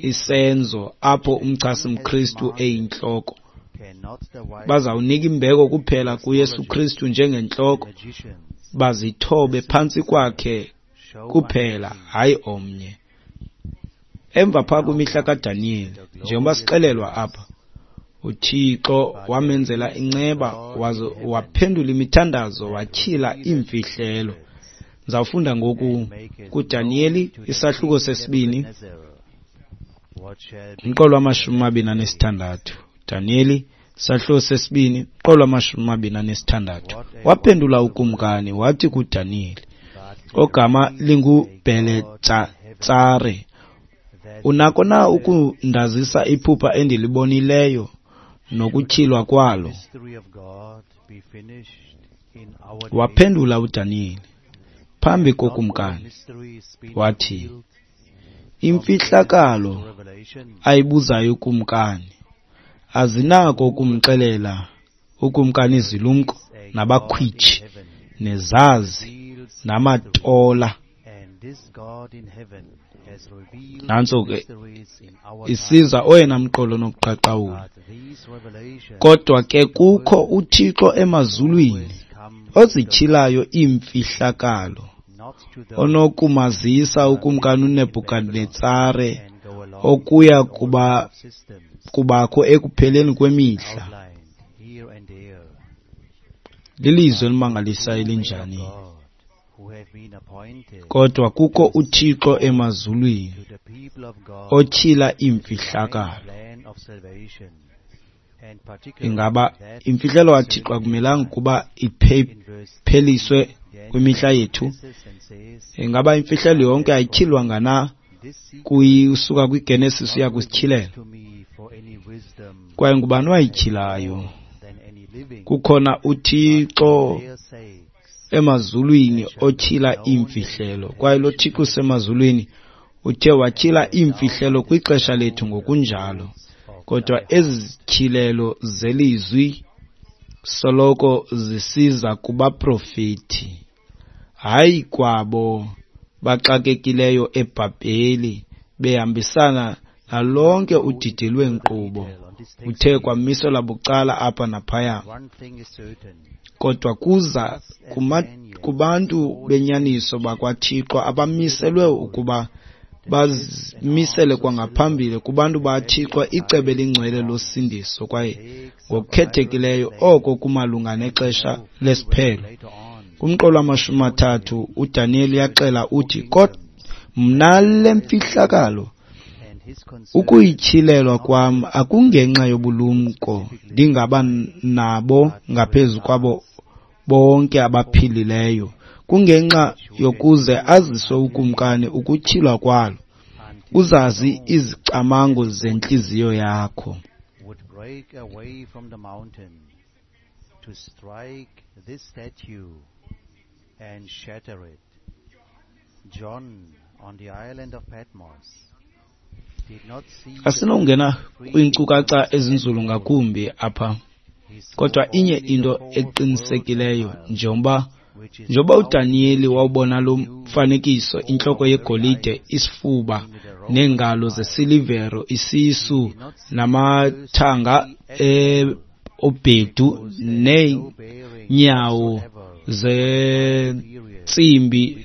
isenzo apho umchasi-mKristu eyintloko. Bazawunika imbeko kuphela kuYesu Kristu njengentloko, bazithobe phantsi kwakhe kuphela, hayi omnye. Emva phaa kwimihla kaDaniyeli, njengoba sixelelwa apha, uThixo wamenzela inceba waze waphendula imithandazo, watyhila iimfihlelo. Ndizawufunda ngoku kuDaniyeli isahluko sesibini, umqolo wamashumi amabini anesithandathu. Daniyeli isahluko sesibini, umqolo wamashumi amabini anesithandathu. Waphendula ukumkani wathi kuDaniyeli, ogama linguBheletsatsare, unako na ukundazisa iphupha endilibonileyo nokutyhilwa kwalo? Waphendula uDaniyeli phambi kokumkani wathi, imfihlakalo ayibuzayo ukumkani azinako ukumxelela ukumkani izilumko nabakhwitshi nezazi namatola. Nantso ke isiza oyena mqolo nokuqaqawula. Kodwa ke kukho uThixo emazulwini ozityhilayo iimfihlakalo, onokumazisa ukumkani uNebhukadnetsare okuya kuba kubakho ekupheleni kwemihla. Lilizwi elimangalisayo elinjani! Kodwa kukho uThixo emazulwini otyhila iimfihlakalo. Ingaba imfihlelo kaThixo akumelanga ukuba ipheliswe kwimihla yethu? Ingaba imfihlelo yonke ayityhilwanga na kusuka kwiGenesis uya kwisiTyhilelo? Kwaye ngubani owayityhilayo? Kukhona uThixo emazulwini otyhila iimfihlelo, kwaye lo Thixo usemazulwini uthe watyhila iimfihlelo kwixesha lethu ngokunjalo. Kodwa ezi zityhilelo zelizwi soloko zisiza kubaprofeti, hayi kwabo baxakekileyo eBhabheli behambisana nalonke udidi lweenkqubo uthe kwamiselwa bucala apha naphaya. Kodwa kuza kuma, kubantu benyaniso bakwaThixo abamiselwe ukuba bazimisele kwangaphambili kubantu baThixo icebo elingcwele losindiso, kwaye ngokukhethekileyo oko kumalunga nexesha lesiphelo. Kumqolo wamashumi amathathu uDaniyeli uyaxela uthi, kodwa mna le mfihlakalo ukuyityhilelwa kwam akungenxa yobulumko ndingaba nabo ngaphezu kwabo bonke abaphilileyo, kungenxa yokuze aziswe ukumkani ukutyhilwa kwalo, uzazi izicamango zentliziyo yakho. Would break away from the mountain to strike this statue and shatter it. John on the island of Patmos did not see the Asinongena kwiinkcukacha ezinzulu ngakumbi apha, kodwa inye into eqinisekileyo, njengoba njengoba uDaniyeli wawubona lo mfanekiso, intloko yegolide, isifuba neengalo zesilivero, isisu namathanga obhedu neenyawo zentsimbi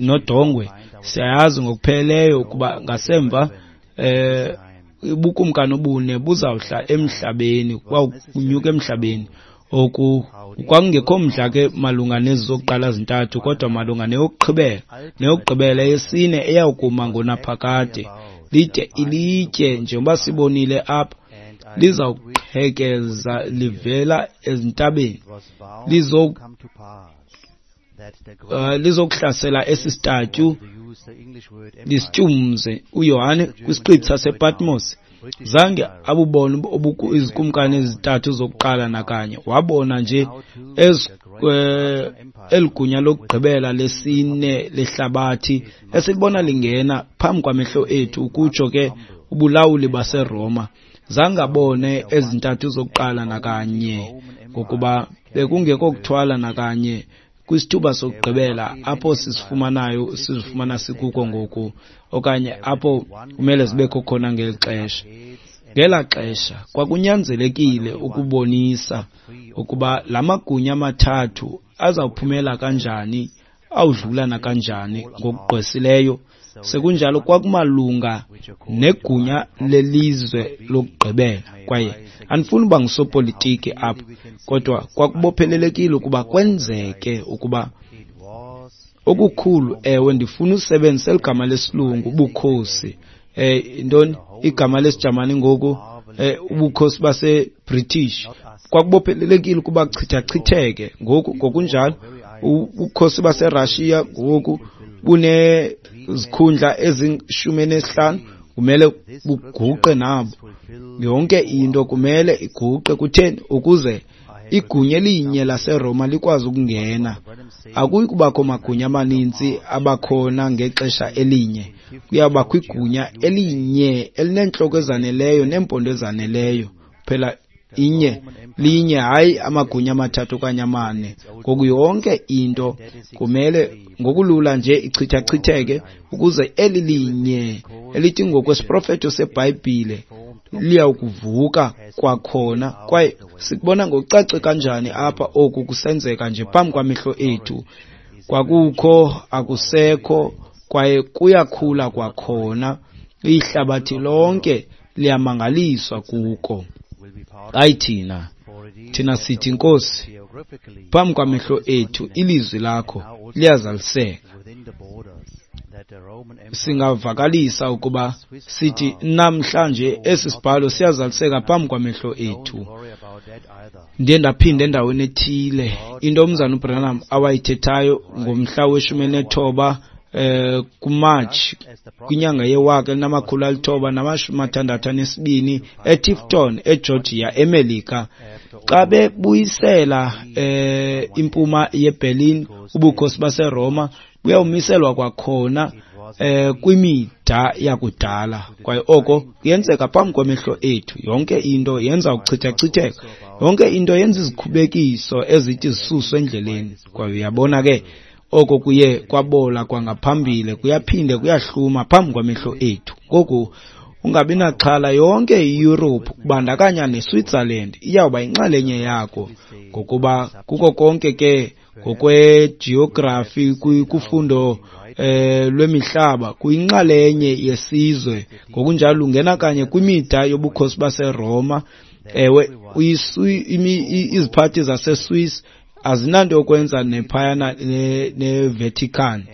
nodongwe, siyayazi ngokupheleleyo ukuba ngasemva eh ubukumkani obune buzawuhla emhlabeni, kwawunyuka emhlabeni. Oku kwakungekho mdla ke malunga nezi zokuqala zintathu, kodwa malunga neyokugqibela, neyokugqibela yesine eyawukuma ngonaphakade, lide ilitye njengoba sibonile apha lizawuqhekeza livela ezintabeni, lizo uh, lizokuhlasela esi statue lisityumze. uYohane kwisiqithi sasePatmos zange abubone izikumkani ezintathu zokuqala nakanye, wabona nje eli gunya lokugqibela lesine lehlabathi esilibona lingena phambi kwamehlo ethu, ukutsho ke ubulawuli baseRoma, zangabone ezintathu zokuqala nakanye, ngokuba bekungekho kuthwala nakanye kwisithuba sokugqibela apho sisifumanayo sizifumana sikuko ngoku, okanye apho kumele zibekho khona ngeli xesha. Ngelaa xesha kwakunyanzelekile ukubonisa ukuba la magunya amathathu azawuphumela kanjani, awudlula nakanjani ngokugqwesileyo. Sekunjalo kwakumalunga negunya lelizwe lokugqibela, kwaye andifuni uba ngusopolitiki apha, kodwa kwakubophelelekile ukuba kwenzeke ukuba okukhulu. Ewe, ndifuna usebenzisa eligama lesilungu ubukhosi, eh intoni igama lesiJamani ngoku, eh ubukhosi baseBritish. Kwakubophelelekile ukuba kuchithachitheke ngoku. Ngokunjalo ubukhosi baseRussia ngoku bunezikhundla ezishumi nesihlanu, kumele buguqe nabo. Yonke into kumele iguqe. Kutheni? Ukuze igunya elinye laseRoma likwazi ukungena. Akuyi kubakho magunya amaninzi abakhona ngexesha elinye, kuyabakho igunya elinye elineentloko ezaneleyo neempondo ezaneleyo phela, inye linye, hayi amagunya amathathu okanye amane. Ngoku yonke into kumele ngokulula nje ichithachitheke ukuze eli linye elithi ngokwesiprofeto seBhayibhile liyawukuvuka kwakhona. Kwaye sikubona ngokucace kanjani apha oku kusenzeka nje phambi kwamehlo ethu. Kwakukho, akusekho, kwaye kuyakhula kwakhona. Ihlabathi lonke liyamangaliswa kuko. Hayi thina, thina sithi, Nkosi, phambi kwamehlo ethu ilizwi lakho liyazaliseka. Singavakalisa ukuba sithi namhlanje esi sibhalo siyazaliseka phambi kwamehlo ethu. Ndiye ndaphinda endaweni ethile into umzana uBranham awayithethayo ngomhla weshumi elinethoba eh kuMarch kwinyanga yewaka elinamakhulu alithoba namashumi mathandathu anesibini eTifton, eGeorgia, eMelika, xa bebuyisela eh impuma yeBerlin, ubukhosi baseRoma buyawumiselwa kwakhona eh kwimida yakudala. Kwaye oko kuyenzeka phambi kwamehlo ethu. Yonke into yenza ukuchithachitheka, yonke into yenza izikhubekiso ezithi zisuswe endleleni. Kwaye uyabona ke oko kuye kwabola kwangaphambili kuyaphinde kuyahluma phambi kwamehlo ethu. Ngoku ungabi naxhala, yonke iEurope kubandakanya neSwitzerland iyawuba yinxalenye yako, ngokuba kuko konke ke ngokwegeography kufundo eh lwemihlaba kuyinxalenye yesizwe. Ngokunjalo lungena kanye kwimida yobukhosi baseRoma. Ewe, iziphathi zaseSwiss azinanto yokwenza nephayana neVatican.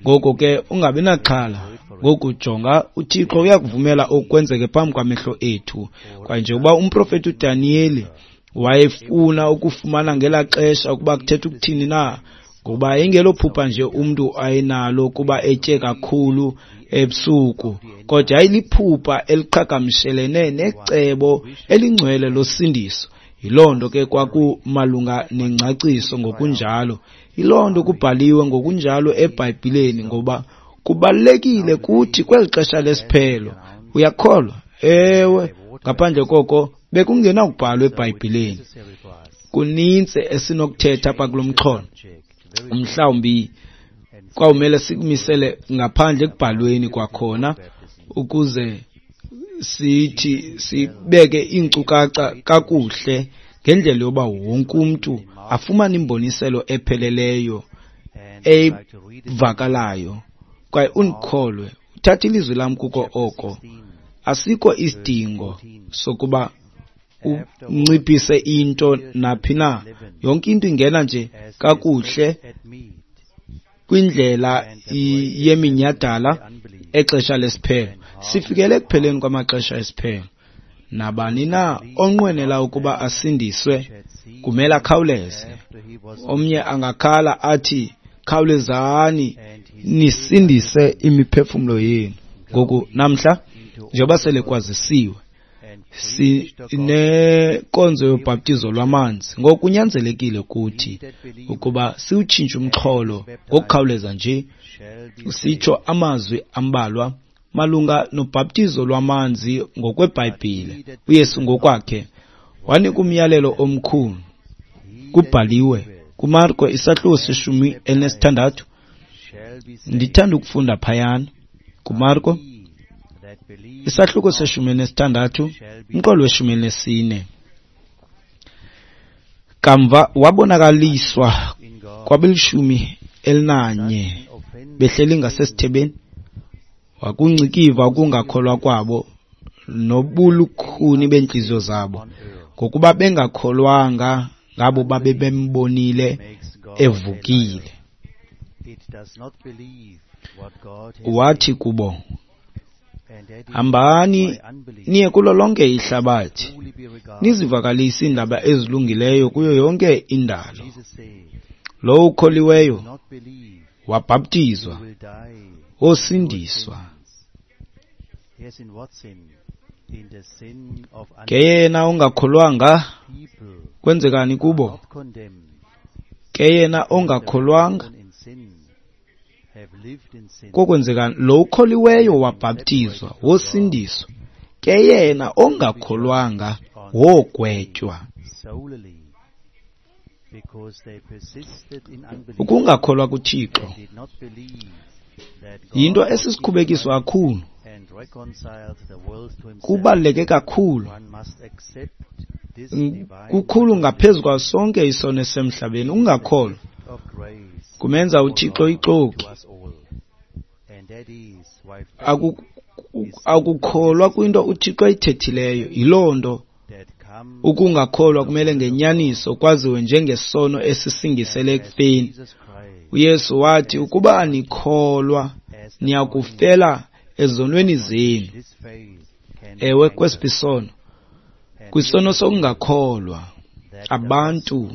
Ngoko ke ungabi naxhala. Ngoku jonga, uThixo uyakuvumela okwenzeke phambi kwamehlo ethu. Kwaye njengoba umprofeti uDaniyeli wayefuna ukufumana ngelaa xesha ukuba kuthetha ukuthini na, ngoba ingelophupha nje umntu ayenalo kuba etye kakhulu ebusuku, kodwa yayiliphupha eliqhagamshelene necebo elingcwele losindiso. Yiloo nto ke kwakumalunga nengcaciso ngokunjalo. Yiloo nto kubhaliwe ngokunjalo eBhayibhileni, ngoba kubalulekile kuthi kweli xesha lesiphelo. Uyakholwa? Ewe. Ngaphandle koko bekungenakubhalwa eBhayibhileni. Kuninzi esinokuthetha apha kulo mxholo. Mhlawumbi kwawumele sikumisele ngaphandle ekubhalweni kwakhona, ukuze sithi sibeke iinkcukacha kakuhle ngendlela yoba wonke umntu afumane imboniselo epheleleyo evakalayo. Kwaye undikholwe, uthatha ilizwi lam kuko oko. Asikho isidingo sokuba unciphise into naphi na. Yonke into ingena nje kakuhle kwindlela yeminyhadala exesha lesiphelo. Sifikele ekupheleni kwamaxesha esiphelo. Nabani na onqwenela ukuba asindiswe kumele akhawuleze. Omnye angakhala athi, khawulezani nisindise imiphefumlo yenu. Ngoku namhla njengoba sele kwazisiwe, Sinenkonzo yobhaptizo lwamanzi. Ngoku kunyanzelekile kuthi ukuba siwutshintshe umxholo ngokukhawuleza nje, sitsho amazwi ambalwa malunga nobhaptizo lwamanzi ngokweBhayibhile. UYesu ngokwakhe wanika umyalelo omkhulu. Kubhaliwe kuMarko isahluko seshumi elinesithandathu. Ndithanda ukufunda phayana kuMarko isahluko seshumi elinesithandathu umqolo weshumi elinesine. Kamva wabonakaliswa kwabelishumi elinanye behleli ngasesithebeni, wakungcikiva ukungakholwa kwabo nobulukhuni beentliziyo zabo, ngokuba bengakholwanga ngabo babe bembonile evukile. Wathi kubo, hambani niye kulo lonke ihlabathi, nizivakalise iindaba ezilungileyo kuyo yonke indalo. Lowo ukholiweyo wabhaptizwa, wosindiswa. Ke yena ongakholwanga, kwenzekani kubo? Ke yena ongakholwanga, kokwenzekani? Lo ukholiweyo wabhaptizwa, wosindiswa. Ke yena ongakholwanga wogwetywa. Ukungakholwa kuThixo yinto esisikhubekiso kakhulu, kubaluleke kakhulu, kukhulu ngaphezu kwaso sonke isono esemhlabeni. Ukungakholwa kumenza uThixo ixoki. Akukholwa kwinto uThixo ayithethileyo. Yiloo nto ukungakholwa kumele ngenyaniso kwaziwe njengesono esisingisele ekufeni. UYesu wathi, ukuba anikholwa niyakufela ezonweni zenu. Ewe, kwesiphi isono? Kwisono sokungakholwa. Abantu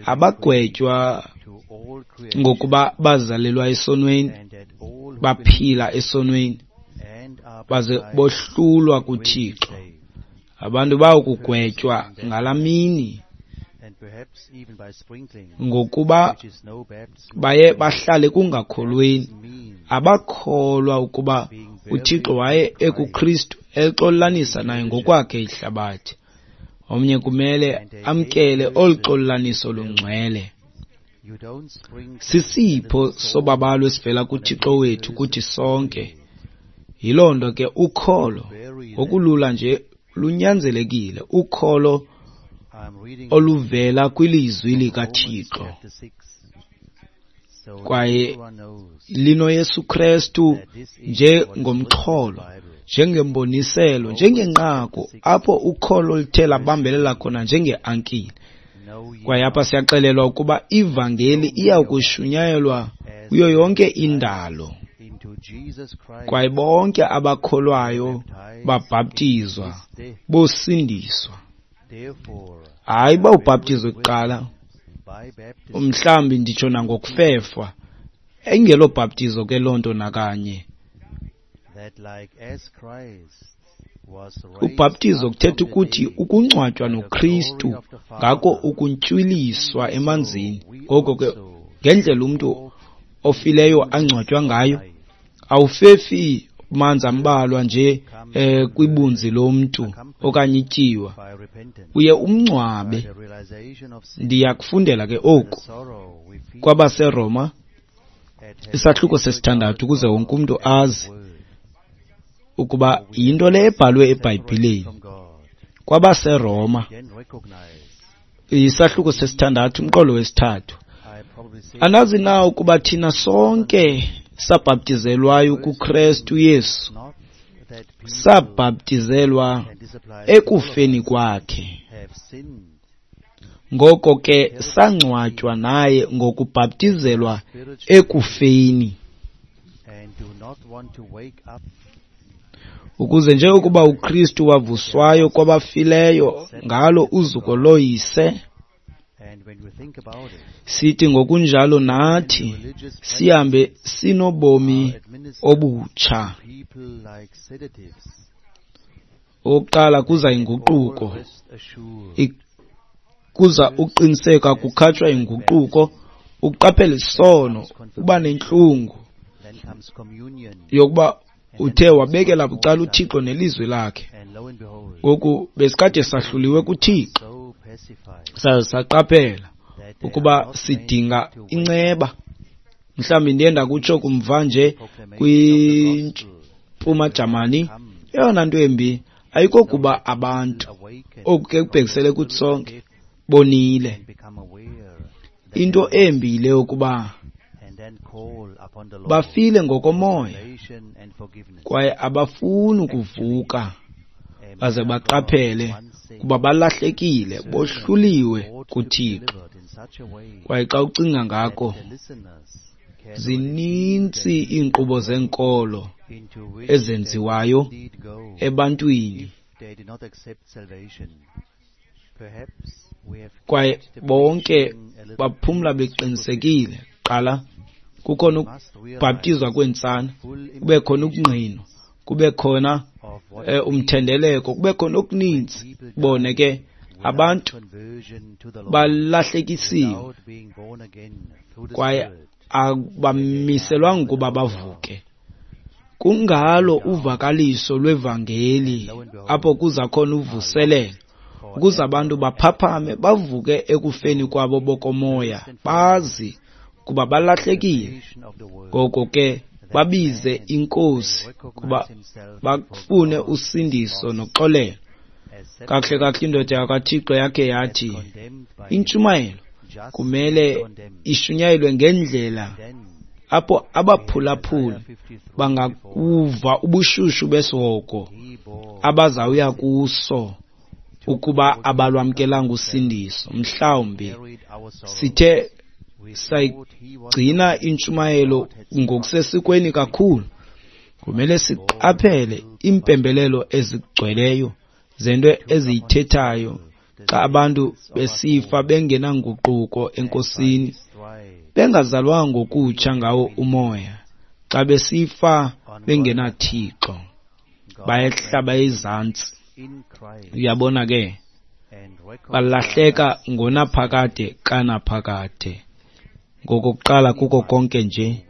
abagwetywa ngokuba bazalelwa esonweni, baphila esonweni, baze bohlulwa kuThixo. Abantu bayokugwetywa ngalaa mini ngokuba baye bahlale kungakholweni. Abakholwa ukuba uThixo waye ekuKristu exolanisa naye ngokwakhe ihlabathi. Omnye kumele amkele olu xolaniso lungcwele. Sisipho sobabalo esivela kuThixo wethu kuthi sonke. Yiloo nto ke ukholo ngokulula nje lunyanzelekile, ukholo oluvela kwilizwi likaThixo kwaye linoYesu Kristu njengomxholo, njengemboniselo, njengenqaku apho ukholo luthe labambelela khona njengeankile. Kwaye apha siyaxelelwa ukuba ivangeli iya kushunyayelwa kuyo yonke indalo, kwaye bonke abakholwayo babhaptizwa bosindiswa. Hayi uba ubhaptizwe kuqala, mhlawumbi nditsho nangokufefwa, ayingelo bhaptizo ke loo nto nakanye. Ubhaptizo kuthetha ukuthi ukungcwatywa noKristu, ngako ukuntywiliswa emanzini. Ngoko ke ngendlela umntu ofileyo angcwatywa ngayo, awufefi manzi ambalwa nje eh, kwibunzi lomntu okanye ityiwa, uye umngcwabe. Ndiyakufundela ke oku kwabaseRoma isahluko sesithandathu ukuze wonke umntu azi ukuba yinto le ebhalwe eBhayibhileni. KwabaseRoma isahluko sesithandathu umqolo wesithathu. Anazi na ukuba thina sonke sabhaptizelwayo kuKristu Yesu, sabhaptizelwa ekufeni kwakhe? Ngoko ke sangcwatywa naye ngokubhaptizelwa ekufeni, ukuze njengokuba uKristu wavuswayo kwabafileyo ngalo uzuko loyise, sithi ngokunjalo nathi sihambe sinobomi obutsha. Okokuqala kuza inguquko, kuza uqiniseka, kukhatshwa inguquko, ukuqaphela isono, uba nentlungu yokuba uthe wabekela bucala uThixo nelizwi lakhe. Ngoku besikade sahluliwe kuThixo, saze saqaphela ukuba sidinga inceba. Mhlawumbi ndiye ndakutsho kumva nje kwiMpuma Jamani, eyona nto embi ayikokuba abantu, oku ke kubhekisele kuthi sonke, bonile. Into embi yile yokuba bafile ngokomoya kwaye abafuni ukuvuka baze baqaphele kuba balahlekile, bohluliwe kuThixo. Kwaye xa ucinga ngako, zininzi iinkqubo zenkolo ezenziwayo ebantwini, kwaye bonke baphumla beqinisekile. Qala, kukhona ukubhaptizwa kweentsana, kube khona ukungqinwa, kube khona umthendeleko, kube khona okuninzi. Bone ke abantu balahlekisiwe kwaye abamiselwanga ukuba bavuke. Kungalo uvakaliso lwevangeli apho kuza khona uvuselelo, ukuze abantu baphaphame, bavuke ekufeni kwabo bokomoya, bazi kuba balahlekile. Ngoko ke babize iNkosi kuba bafune usindiso noxolelo. Kakuhle kakuhle indoda yakwaThixo yakhe yathi intshumayelo kumele ishunyayelwe ngendlela apho abaphulaphuli bangakuva ubushushu besihogo abazawuya kuso ukuba abalwamkelanga usindiso. Mhlawumbi sithe sayigcina intshumayelo ngokusesikweni kakhulu. Kumele siqaphele iimpembelelo ezigcweleyo zento eziyithethayo xa abantu besifa bengenanguquko eNkosini, bengazalwanga ngokutsha ngawo umoya. Xa besifa bengenaThixo, bayehla bayezantsi. Uyabona ke, balahleka ngonaphakade kanaphakade. Ngokokuqala kuko konke nje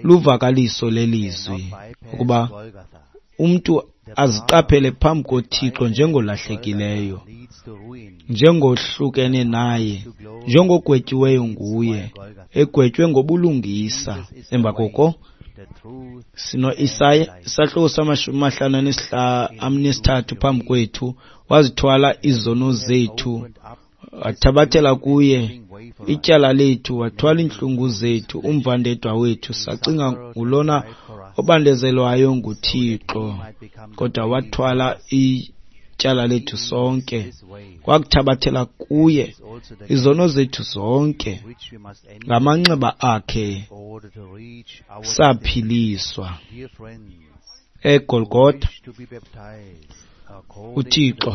luvakaliso lelizwi ukuba umntu aziqaphele phambi koThixo njengolahlekileyo, njengohlukene naye, njengogwetyiweyo nguye, egwetywe ngobulungisa. Emva koko sino-Isaya isahluko samashumi amahlanu anesithathu phambi kwethu. Wazithwala izono zethu, wathabathela kuye ityala lethu, wathwala iintlungu zethu, umvandedwa wethu. Sacinga ngulona obandezelwayo nguThixo, kodwa wathwala ityala lethu sonke, wakuthabathela kuye izono zethu zonke. Ngamanxeba akhe saphiliswa. EGolgotha uThixo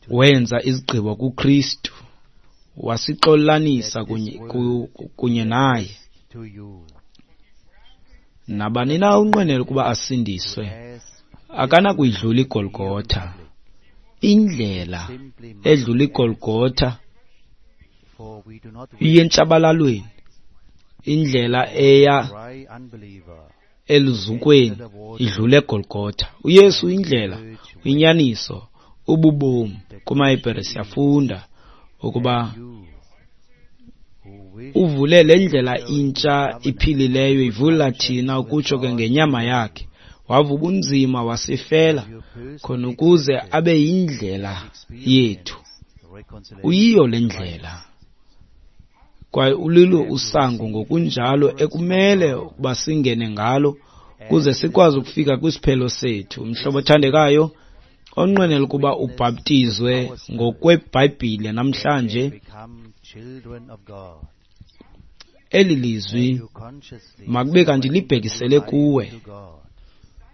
wenza izigqibo kuKristu, wasixolanisa kunye, kunye naye. Nabani na unqwenela ukuba asindiswe akanakuyidlula iGolgotha. Indlela edlula iGolgotha iyentshabalalweni, indlela eya eluzukweni idlula eGolgotha. uYesu indlela, inyaniso, ububomi. KumaHebhere siyafunda ukuba uvule le ndlela intsha iphilileyo, ivula thina ukutsho ke ngenyama yakhe. Wava ubunzima wasifela khona ukuze abe yindlela yethu. Uyiyo le ndlela kwaye ulilo usango ngokunjalo ekumele ukuba singene ngalo ukuze sikwazi ukufika kwisiphelo sethu. Mhlobo othandekayo onqwenela ukuba ubhaptizwe ngokweBhayibhile namhlanje, eli lizwi makube kanti libhekisele kuwe,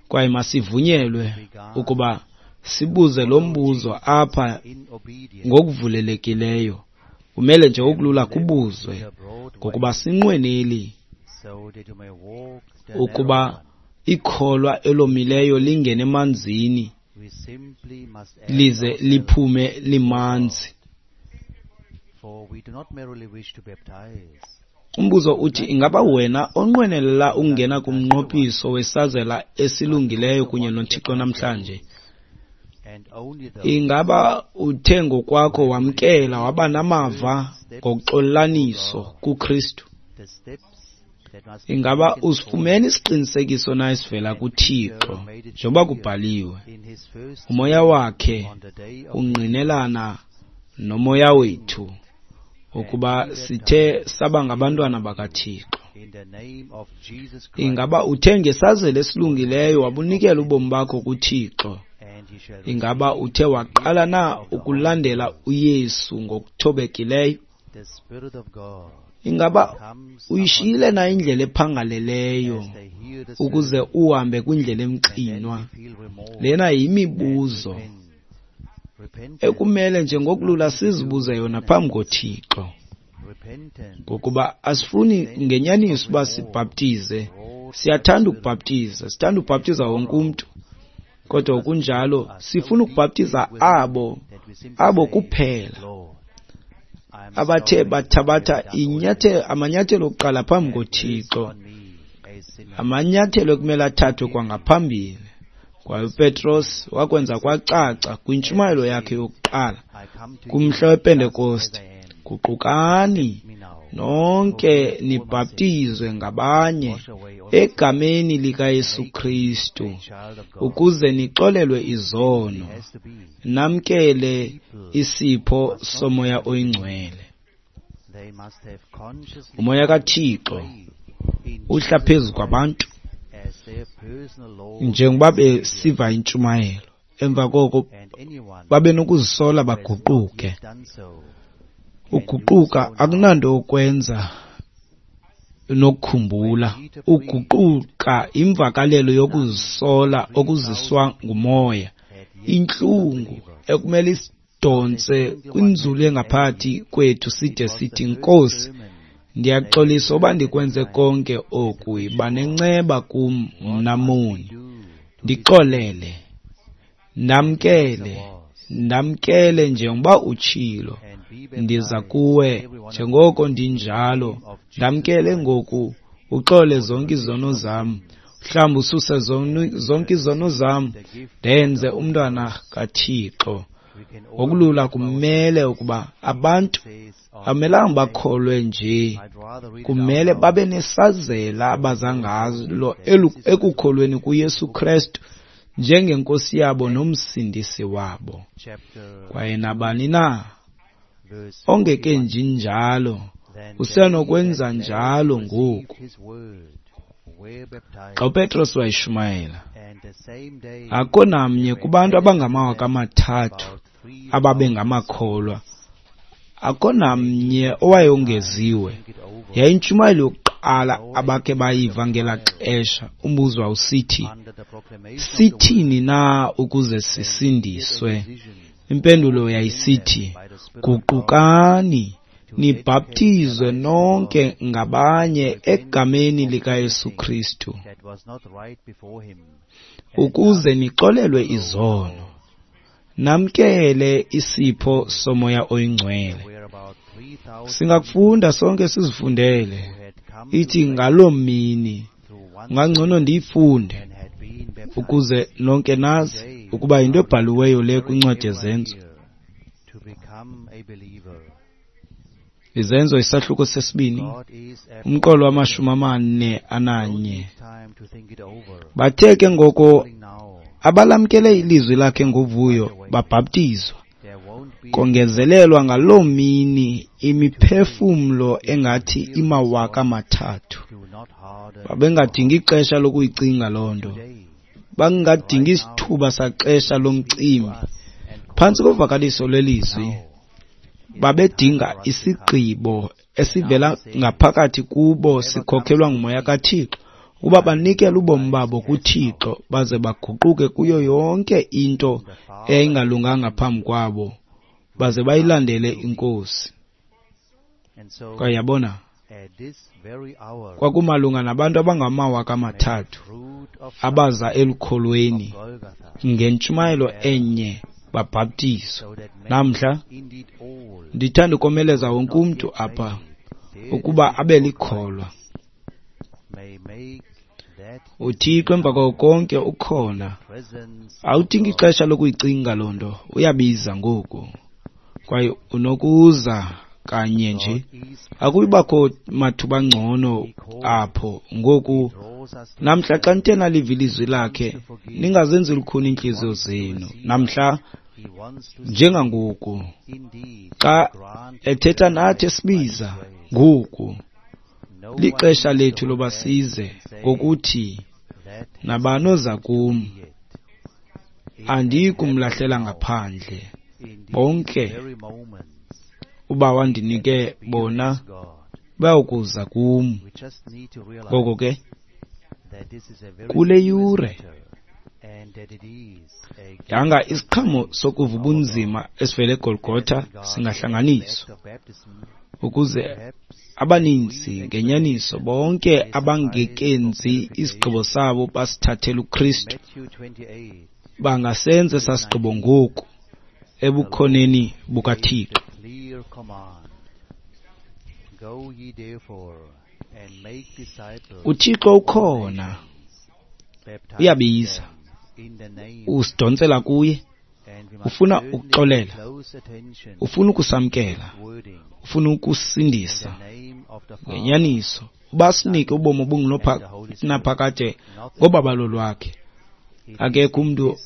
kwaye masivunyelwe ukuba sibuze lo mbuzo apha ngokuvulelekileyo. Kumele nje okulula kubuzwe, ngokuba sinqweneli ukuba ikholwa elomileyo lingene emanzini lize liphume limanzi. Umbuzo uthi, ingaba wena onqwenelela ukungena kumnqophiso wesazela esilungileyo kunye noThixo namhlanje, ingaba uthe ngokwakho wamkela waba namava ngoxolelaniso kuKristu? Ingaba usifumene isiqinisekiso na esivela kuThixo njengoba kubhaliwe? Umoya wakhe ungqinelana nomoya wethu ukuba sithe saba ngabantwana bakaThixo. Ingaba uthe ngesazela esilungileyo wabunikela ubomi bakho kuThixo? Ingaba uthe waqala na ukulandela uYesu ngokuthobekileyo? Ingaba uyishiyile na indlela ephangaleleyo ukuze uhambe kwindlela emxinwa? Lena yimibuzo ekumele nje ngokulula sizibuze yona phambi koThixo, ngokuba asifuni ngenyaniso uba sibhaptize. Siyathanda ukubhaptiza, sithanda ukubhaptiza wonke umntu, kodwa kunjalo sifuna ukubhaptiza abo abo kuphela abathe bathabatha inyathelo amanyathelo okuqala phambi koThixo, amanyathelo ekumele athathwe kwangaphambili. Kwaye uPetros wakwenza kwacaca kwintshumayelo yakhe yokuqala kumhla wePentekoste, guqukani nonke nibhaptizwe ngabanye egameni likaYesu Kristu ukuze nixolelwe izono, namkele isipho soMoya oyiNgcwele. Umoya kaThixo uhla phezu kwabantu njengoba besiva intshumayelo, emva koko babe nokuzisola baguquke. Uguquka akunanto yokwenza nokukhumbula. Uguquka imvakalelo yokuzisola okuziswa ngumoya, intlungu ekumele isidonse kwinzulu engaphakathi kwethu side sithi, Nkosi, ndiyaxolisa uba ndikwenze konke oku, yiba nenceba kum mna moni, ndixolele, ndamkele, ndamkele njengoba utshilo, ndiza kuwe njengoko ndinjalo, ndamkele ngoku, uxole zonke izono zam, mhlawumbi ususe zonke izono zam, ndenze umntwana kaThixo. Ngokulula kumele ukuba abantu amelanga bakholwe nje, kumele babe nesazela abaza ngalo ekukholweni kuYesu Kristu njengenkosi yabo nomsindisi wabo. Kwaye nabani na ongekenji njalo usenokwenza njalo ngoku. Xa uPetros wayeshumayela, akho namnye kubantu abangamawaka amathathu ababengamakholwa, akho namnye owayongeziwe. Yayintshumayelo yokuqala abakhe bayiva ngelaa xesha. Umbuzo wawusithi, sithini na ukuze sisindiswe? Impendulo yayisithi, guqukani nibhaptizwe nonke ngabanye egameni likaYesu Kristu ukuze nixolelwe izono, namkele isipho soMoya oyiNgcwele. Singakufunda sonke sizifundele. Ithi ngaloo mini, ungangcono ndiyifunde ukuze nonke nazi ukuba yinto ebhaliweyo le kwincwadi yeZenzo. Izenzo isahluko sesibini, umqolo wamashumi amane ananye. Bathe ke ngoko abalamkele ilizwi lakhe ngovuyo babhaptizwa. Kongezelelwa ngaloo mini imiphefumlo engathi imawaka amathathu. Babengadingi ixesha lokuyicinga loo nto, bangadingi isithuba saxesha lomcimbi. Phantsi kovakaliso lwelizwi babedinga isigqibo esivela ngaphakathi kubo sikhokhelwa ngumoya kaThixo ukuba banikele ubomi babo kuThixo baze baguquke kuyo yonke into eyayingalunganga phambi kwabo baze bayilandele iNkosi. Kwaye yabona, kwakumalunga nabantu abangamawaka amathathu abaza elukholweni ngentshumayelo enye babhaptizwa. Namhla ndithanda ukomeleza wonke umntu apha ukuba abe likholwa. UThixo emva kwako konke ukhona. Awudingi ixesha lokuyicinga loo nto, uyabiza ngoku kwaye unokuza kanye nje. Akuyibakho mathuba ngcono apho ngoku. Namhla xa nithe naliva ilizwi lakhe, ningazenzi lukhuni iintliziyo zenu. Namhla njengangoku xa ethetha nathi esibiza ngoku, lixesha lethu loba size ngokuthi nabani oza kum andiyikumlahlela ngaphandle. Bonke uba wandinike bona bayokuza kum. Ngoko ke kule yure yanga isiqhamo sokuva ubunzima esivela eGolgotha singahlanganiswa ukuze abaninzi ngenyaniso bonke abangekenzi isigqibo sabo basithathele uKristu bangasenza esaa sigqibo ngoku ebukhoneni bukaThixo. UThixo ukhona, uyabiza, usidonsela kuye, ufuna ukuxolela, ufuna ukusamkela, ufuna ukusindisa ngenyaniso, uba sinike ubomi obungunaphakade ngobabalo lwakhe. Akekho umntu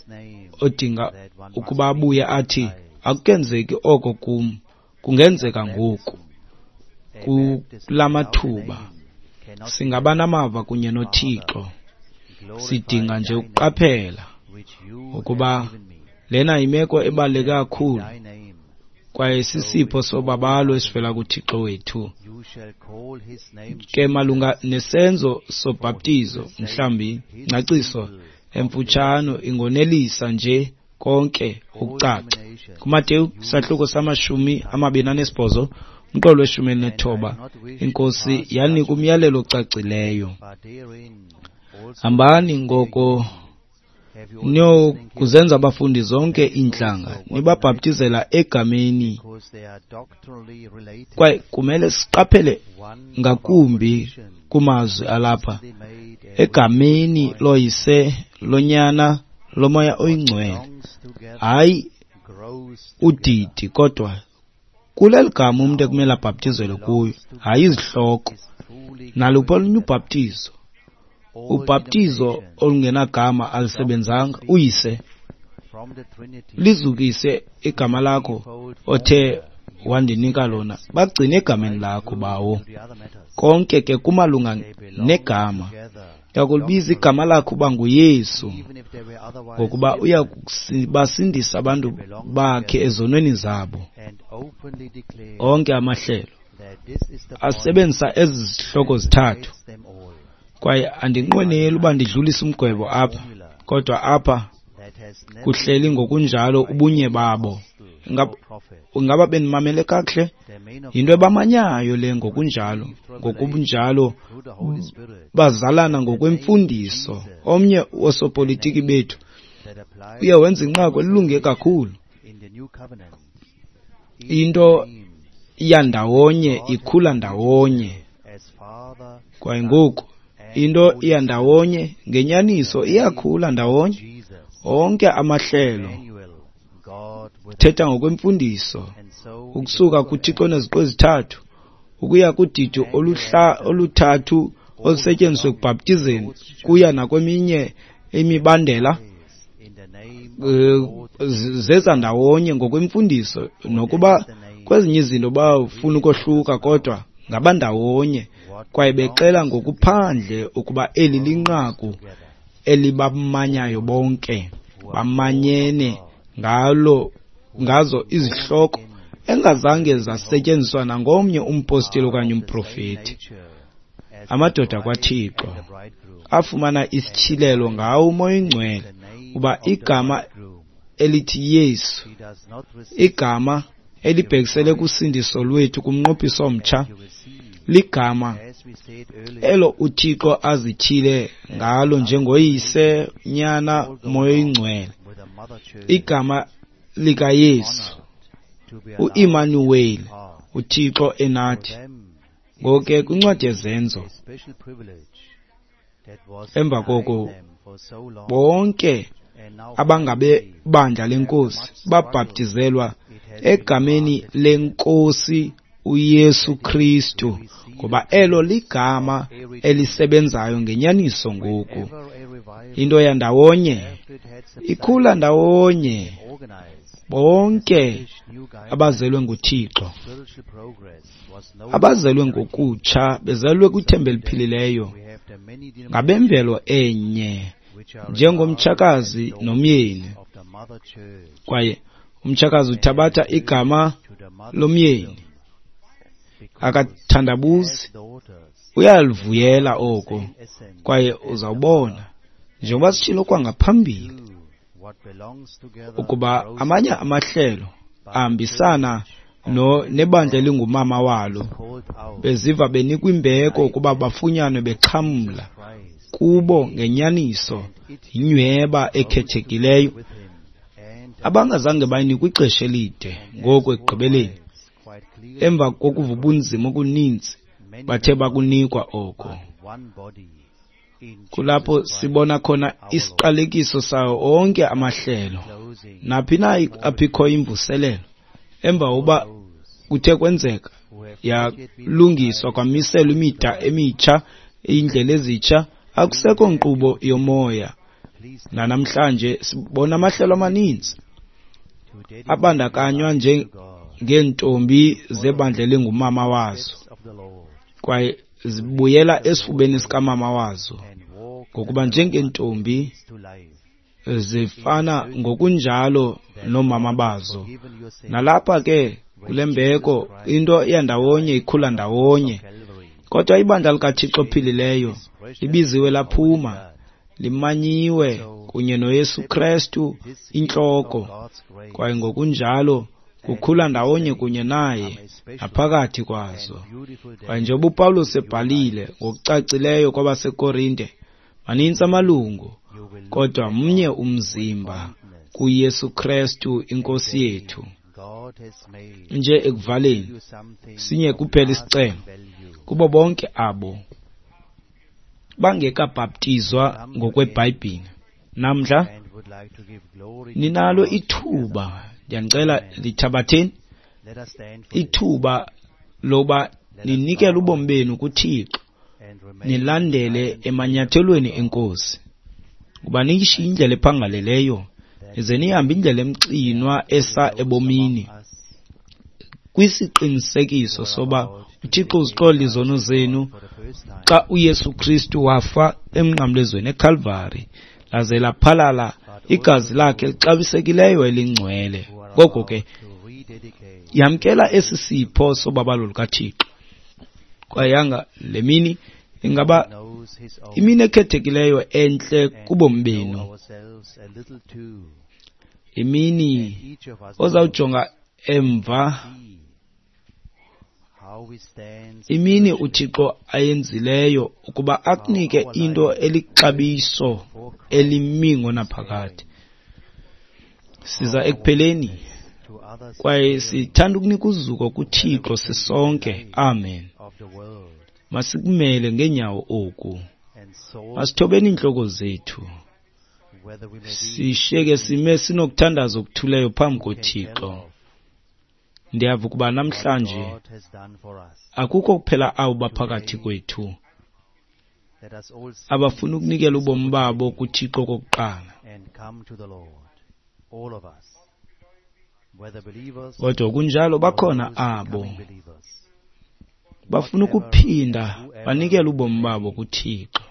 odinga ukuba abuye athi akukenzeki oko kum, kungenzeka ngoku. Kula mathuba singaba namava kunye noThixo. Sidinga nje ukuqaphela ukuba lena yimeko ebaluleke kakhulu kwaye sisipho sobabalo esivela kuThixo wethu. Ke malunga nesenzo sobhaptizo, mhlawumbi ingcaciso emfutshane ingonelisa nje konke ukucaca. KuMateyu isahluko samashumi amabini anesibhozo umqolo weshumi elinethoba, iNkosi yanika umyalelo ocacileyo: hambani ngoko niyokuzenza abafundi zonke iintlanga, nibabhaptizela egameni. Kwaye kumele siqaphele ngakumbi kumazwi alapha, egameni loYise, loNyana, loMoya oyiNgcwele. Hayi udidi, kodwa kuleli gama umntu ekumele abhaptizelwe kuyo, hayi izihloko. Naluphi olunye ubhaptizo, ubhaptizo olungenagama alisebenzanga. Uyise, lizukise igama lakho othe wandinika lona, bagcine egameni lakho bawo. Konke ke kumalunga negama. Uyakulibiza igama lakho uba nguYesu, ngokuba uya kubasindisa abantu bakhe ezonweni zabo. Onke amahlelo asebenzisa ezi zihloko zithathu, kwaye andinqweneli uba ndidlulise umgwebo apha, kodwa apha kuhleli ngokunjalo ubunye babo. Ingaba benimamele kakuhle? Yinto ebamanyayo le ngokunjalo. Ngokunjalo bazalana ngokwemfundiso. Omnye wosopolitiki bethu uye wenza inqaku elilunge kakhulu. Into iyandawonye ikhula ndawonye. Kwaye ngoku into iyandawonye ngenyaniso iyakhula ndawonye. Onke amahlelo thetha ngokwemfundiso ukusuka kuThixo oneziqu ezithathu ukuya kudidi oluhla oluthathu olusetyenziswe ekubhaptizeni kuya nakweminye imibandela, zeza ndawonye ngokwemfundiso. Nokuba kwezinye izinto bafuna ukohluka, kodwa ngabandawonye kwaye bexela ngokuphandle ukuba eli linqaku elibamanyayo bonke, bamanyene ngalo ngazo izihloko engazange zasetyenziswa nangomnye umpostile okanye umprofeti. Amadoda kwaThixo afumana isityhilelo ngawo uMoya oyiNgcwele uba igama elithi Yesu, igama elibhekisele kusindiso lwethu kumnqophiso omtsha, ligama elo uThixo azithile ngalo njengoYise, Nyana, Moya oyiNgcwele, igama likaYesu, uImanuweli, uThixo enathi. Ngoko ke kwincwadi yeZenzo, emva koko bonke abangabebandla leNkosi babhaptizelwa egameni leNkosi uYesu Kristu, ngoba elo ligama elisebenzayo ngenyaniso ngoku. Into yandawonye ikhula ndawonye, bonke abazelwe nguThixo, abazelwe ngokutsha, bezelwe kwithemba eliphilileyo, ngabemvelo enye, njengomtshakazi nomyeni. Kwaye umtshakazi uthabatha igama lomyeni, akathandabuzi, uyalivuyela oko, kwaye uzawubona, njengoba sitshilo kwangaphambili, ukuba amanye amahlelo ahambisana no nebandla elingumama walo, beziva benikwa imbeko ukuba bafunyanwe bexhamla kubo ngenyaniso inyweba ekhethekileyo abangazange bayinikwe ixesha elide. Ngoku ekugqibeleni, emva kokuva ubunzima obuninzi, bathe bakunikwa oko. Kulapho sibona khona isiqalekiso sawo onke amahlelo, naphi na apho ikho imvuselelo, emva uba kuthe kwenzeka yalungiswa kwamiselwa imida emitsha, iindlela ezitsha, akusekho nkqubo yomoya. Nanamhlanje sibona amahlelo amaninzi abandakanywa njengeentombi zebandla elingumama wazo, kwaye zibuyela esifubeni sikamama wazo, ngokuba njengeentombi zifana ngokunjalo noomama bazo. Nalapha ke kule mbeko into yandawonye ikhula ndawonye, kodwa ibandla likaThixo ophilileyo libiziwe laphuma, limanyiwe kunye noYesu Kristu intloko, kwaye ngokunjalo kukhula ndawonye kunye naye naphakathi kwazo. Kwaye njengoba uPawulos ebhalile ngokucacileyo kwabaseKorinte, manintsi amalungu, kodwa mnye umzimba kuYesu Kristu iNkosi yethu. Nje ekuvaleni, sinye kuphela isicelo kubo bonke abo bangekabhaptizwa ngokweBhayibhile. Namhla ninalo ithuba, ndiyanicela lithabatheni ithuba loba ninikele ubomi benu kuThixo, nilandele emanyathelweni eNkosi, kuba niyishiye indlela ephangaleleyo, nize nihambe indlela emxinwa esa ebomini, kwisiqinisekiso soba uThixo uzixolela izono zenu xa uYesu Kristu wafa emnqamlezweni eKalvari, laze laphalala igazi lakhe elixabisekileyo elingcwele. Ngoko ke yamkela esi sipho sobabalo lukaThixo, kwaye yanga le mini ingaba imini ekhethekileyo entle kubomi benu, imini ozawujonga emva, imini uThixo ayenzileyo ukuba akunike into elixabiso elimi ngonaphakade. Siza ekupheleni, kwaye sithanda ukunika uzuko kuThixo sisonke. Amen. Masikumele ngeenyawo oku, masithobeni iintloko zethu, sishiyeke sime sinokuthandaza okuthuleyo phambi koThixo. Ndiyava ukuba namhlanje akukho kuphela abo baphakathi kwethu abafuna ukunikela ubomi babo kuThixo kokuqala, kodwa kunjalo bakhona abo bafuna ukuphinda banikele ubomi babo kuThixo.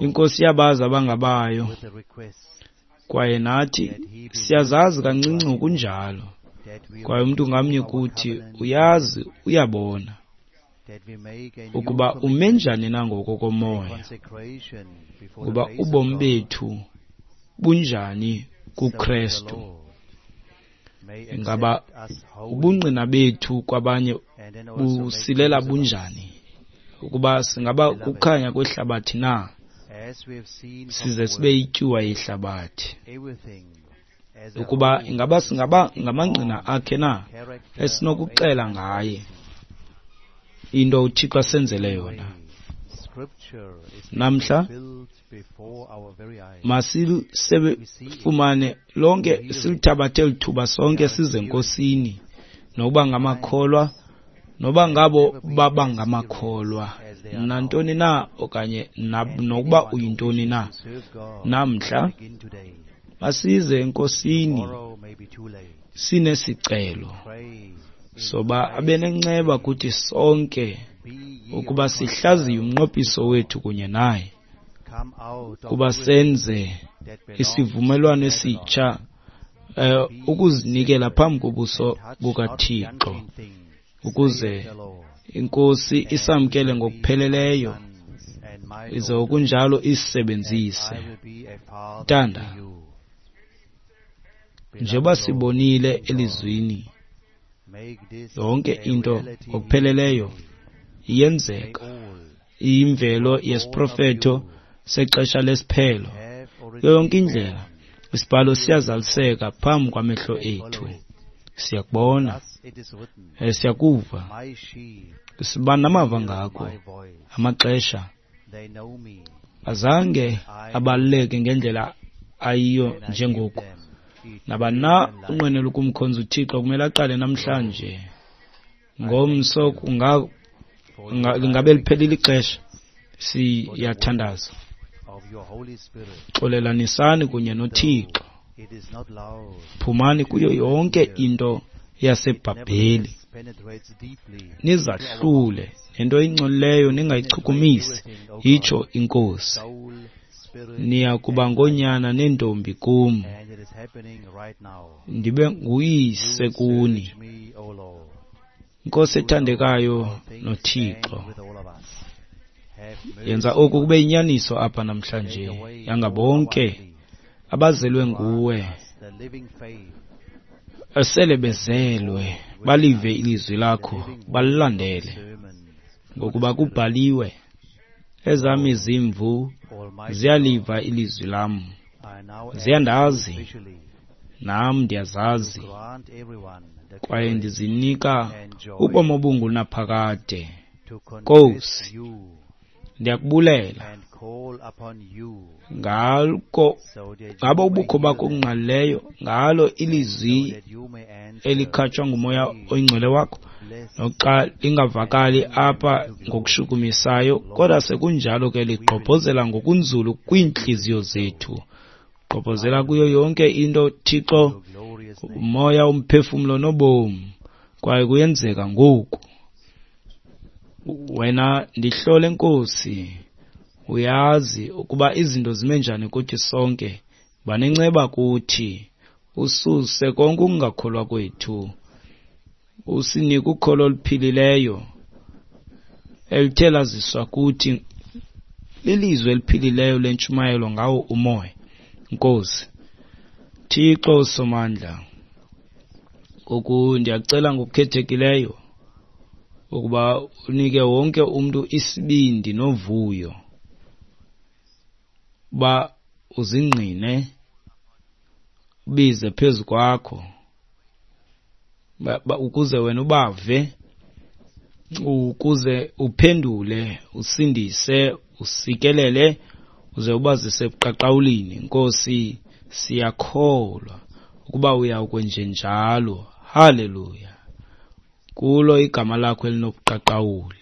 INkosi yabazi abangabayo, kwaye nathi siyazazi kancinci ngokunjalo, kwaye umntu ngamnye kuthi uyazi, uyabona ukuba ume njani na ngokomoya, kuba ubomi bethu bunjani kuKristu. Ingaba ubungqina bethu kwabanye busilela bunjani? Ukuba singaba kukhanya kwehlabathi na, size sibe yityuwa yehlabathi? Ukuba ingaba singaba ngamangqina akhe na esinokuxela ngaye into uThixo asenzele yona? Namhla masisefumane lonke, silithabathe lithuba sonke size eNkosini, nokuba ngamakholwa noba ngabo baba ngamakholwa nantoni na, okanye nokuba uyintoni na. Namhla masize eNkosini sinesicelo soba abe nenceba kuthi sonke, ukuba sihlaziye umnqophiso wethu kunye naye, kuba senze isivumelwano esitsha, ukuzinikela phambi kobuso bukaThixo, ukuze iNkosi isamkele ngokupheleleyo, ize okunjalo isebenzise. Ntanda, njengoba sibonile elizwini, yonke into ngokupheleleyo iyenzeka, iyimvelo yesiprofeto sexesha lesiphelo. Yonke indlela isibhalo siyazaliseka phambi kwamehlo ethu. Siyakubona, siyakuva, siba namava ngako. Amaxesha azange abaluleke ngendlela ayiyo njengoku. Nabani na unqwenela ukumkhonza uThixo kumele aqale namhlanje. Ngomso kunga lingabe liphelile ixesha. Siyathandaza, xolelanisani kunye noThixo, phumani kuyo yonke into yaseBhabheli, nizahlule nento ingcolileyo, ningayichukumisi, itsho iNkosi. Niya kuba ngoonyana neentombi kum, ndibe nguyise kuni. Nkosi ethandekayo noThixo, yenza oku kube yinyaniso apha namhlanje, yanga bonke abazelwe nguwe esele bezelwe balive ilizwi lakho, balilandele, ngokuba kubhaliwe, ezam izimvu ziyaliva ilizwi lam, ziyandazi, nam ndiyazazi, kwaye ndizinika ubomi obungunaphakade. Nkosi, ndiyakubulela ngako ngabo ubukho bakho obungqalileyo, ngalo ilizwi elikhatshwa nguMoya oyiNgcwele wakho, noxa lingavakali apha ngokushukumisayo, kodwa sekunjalo ke ligqobhozela ngokunzulu kwiintliziyo zethu, gqobhozela kuyo yonke into, Thixo, umoya, umphefumlo nobomi, kwaye kuyenzeka ngoku. Wena ndihlole, Nkosi, uyazi ukuba izinto zime njani kuthi sonke. Banenceba kuthi, ususe konke ukungakholwa kwethu, usinike ukholo oluphilileyo elithe laziswa kuthi lilizwi eliphilileyo lentshumayelo ngawo umoya. Nkosi Thixo Somandla, ngoku ndiyacela ngokukhethekileyo ukuba unike wonke umntu isibindi novuyo, uba uzingqine, ubize phezu kwakho, ukuze wena ubave, ukuze uphendule, usindise, usikelele, uze ubazise ebuqaqawulini. Nkosi, siyakholwa ukuba uyawukwenjenjalo. Haleluya. Kulo igama lakho elinobuqaqawuli.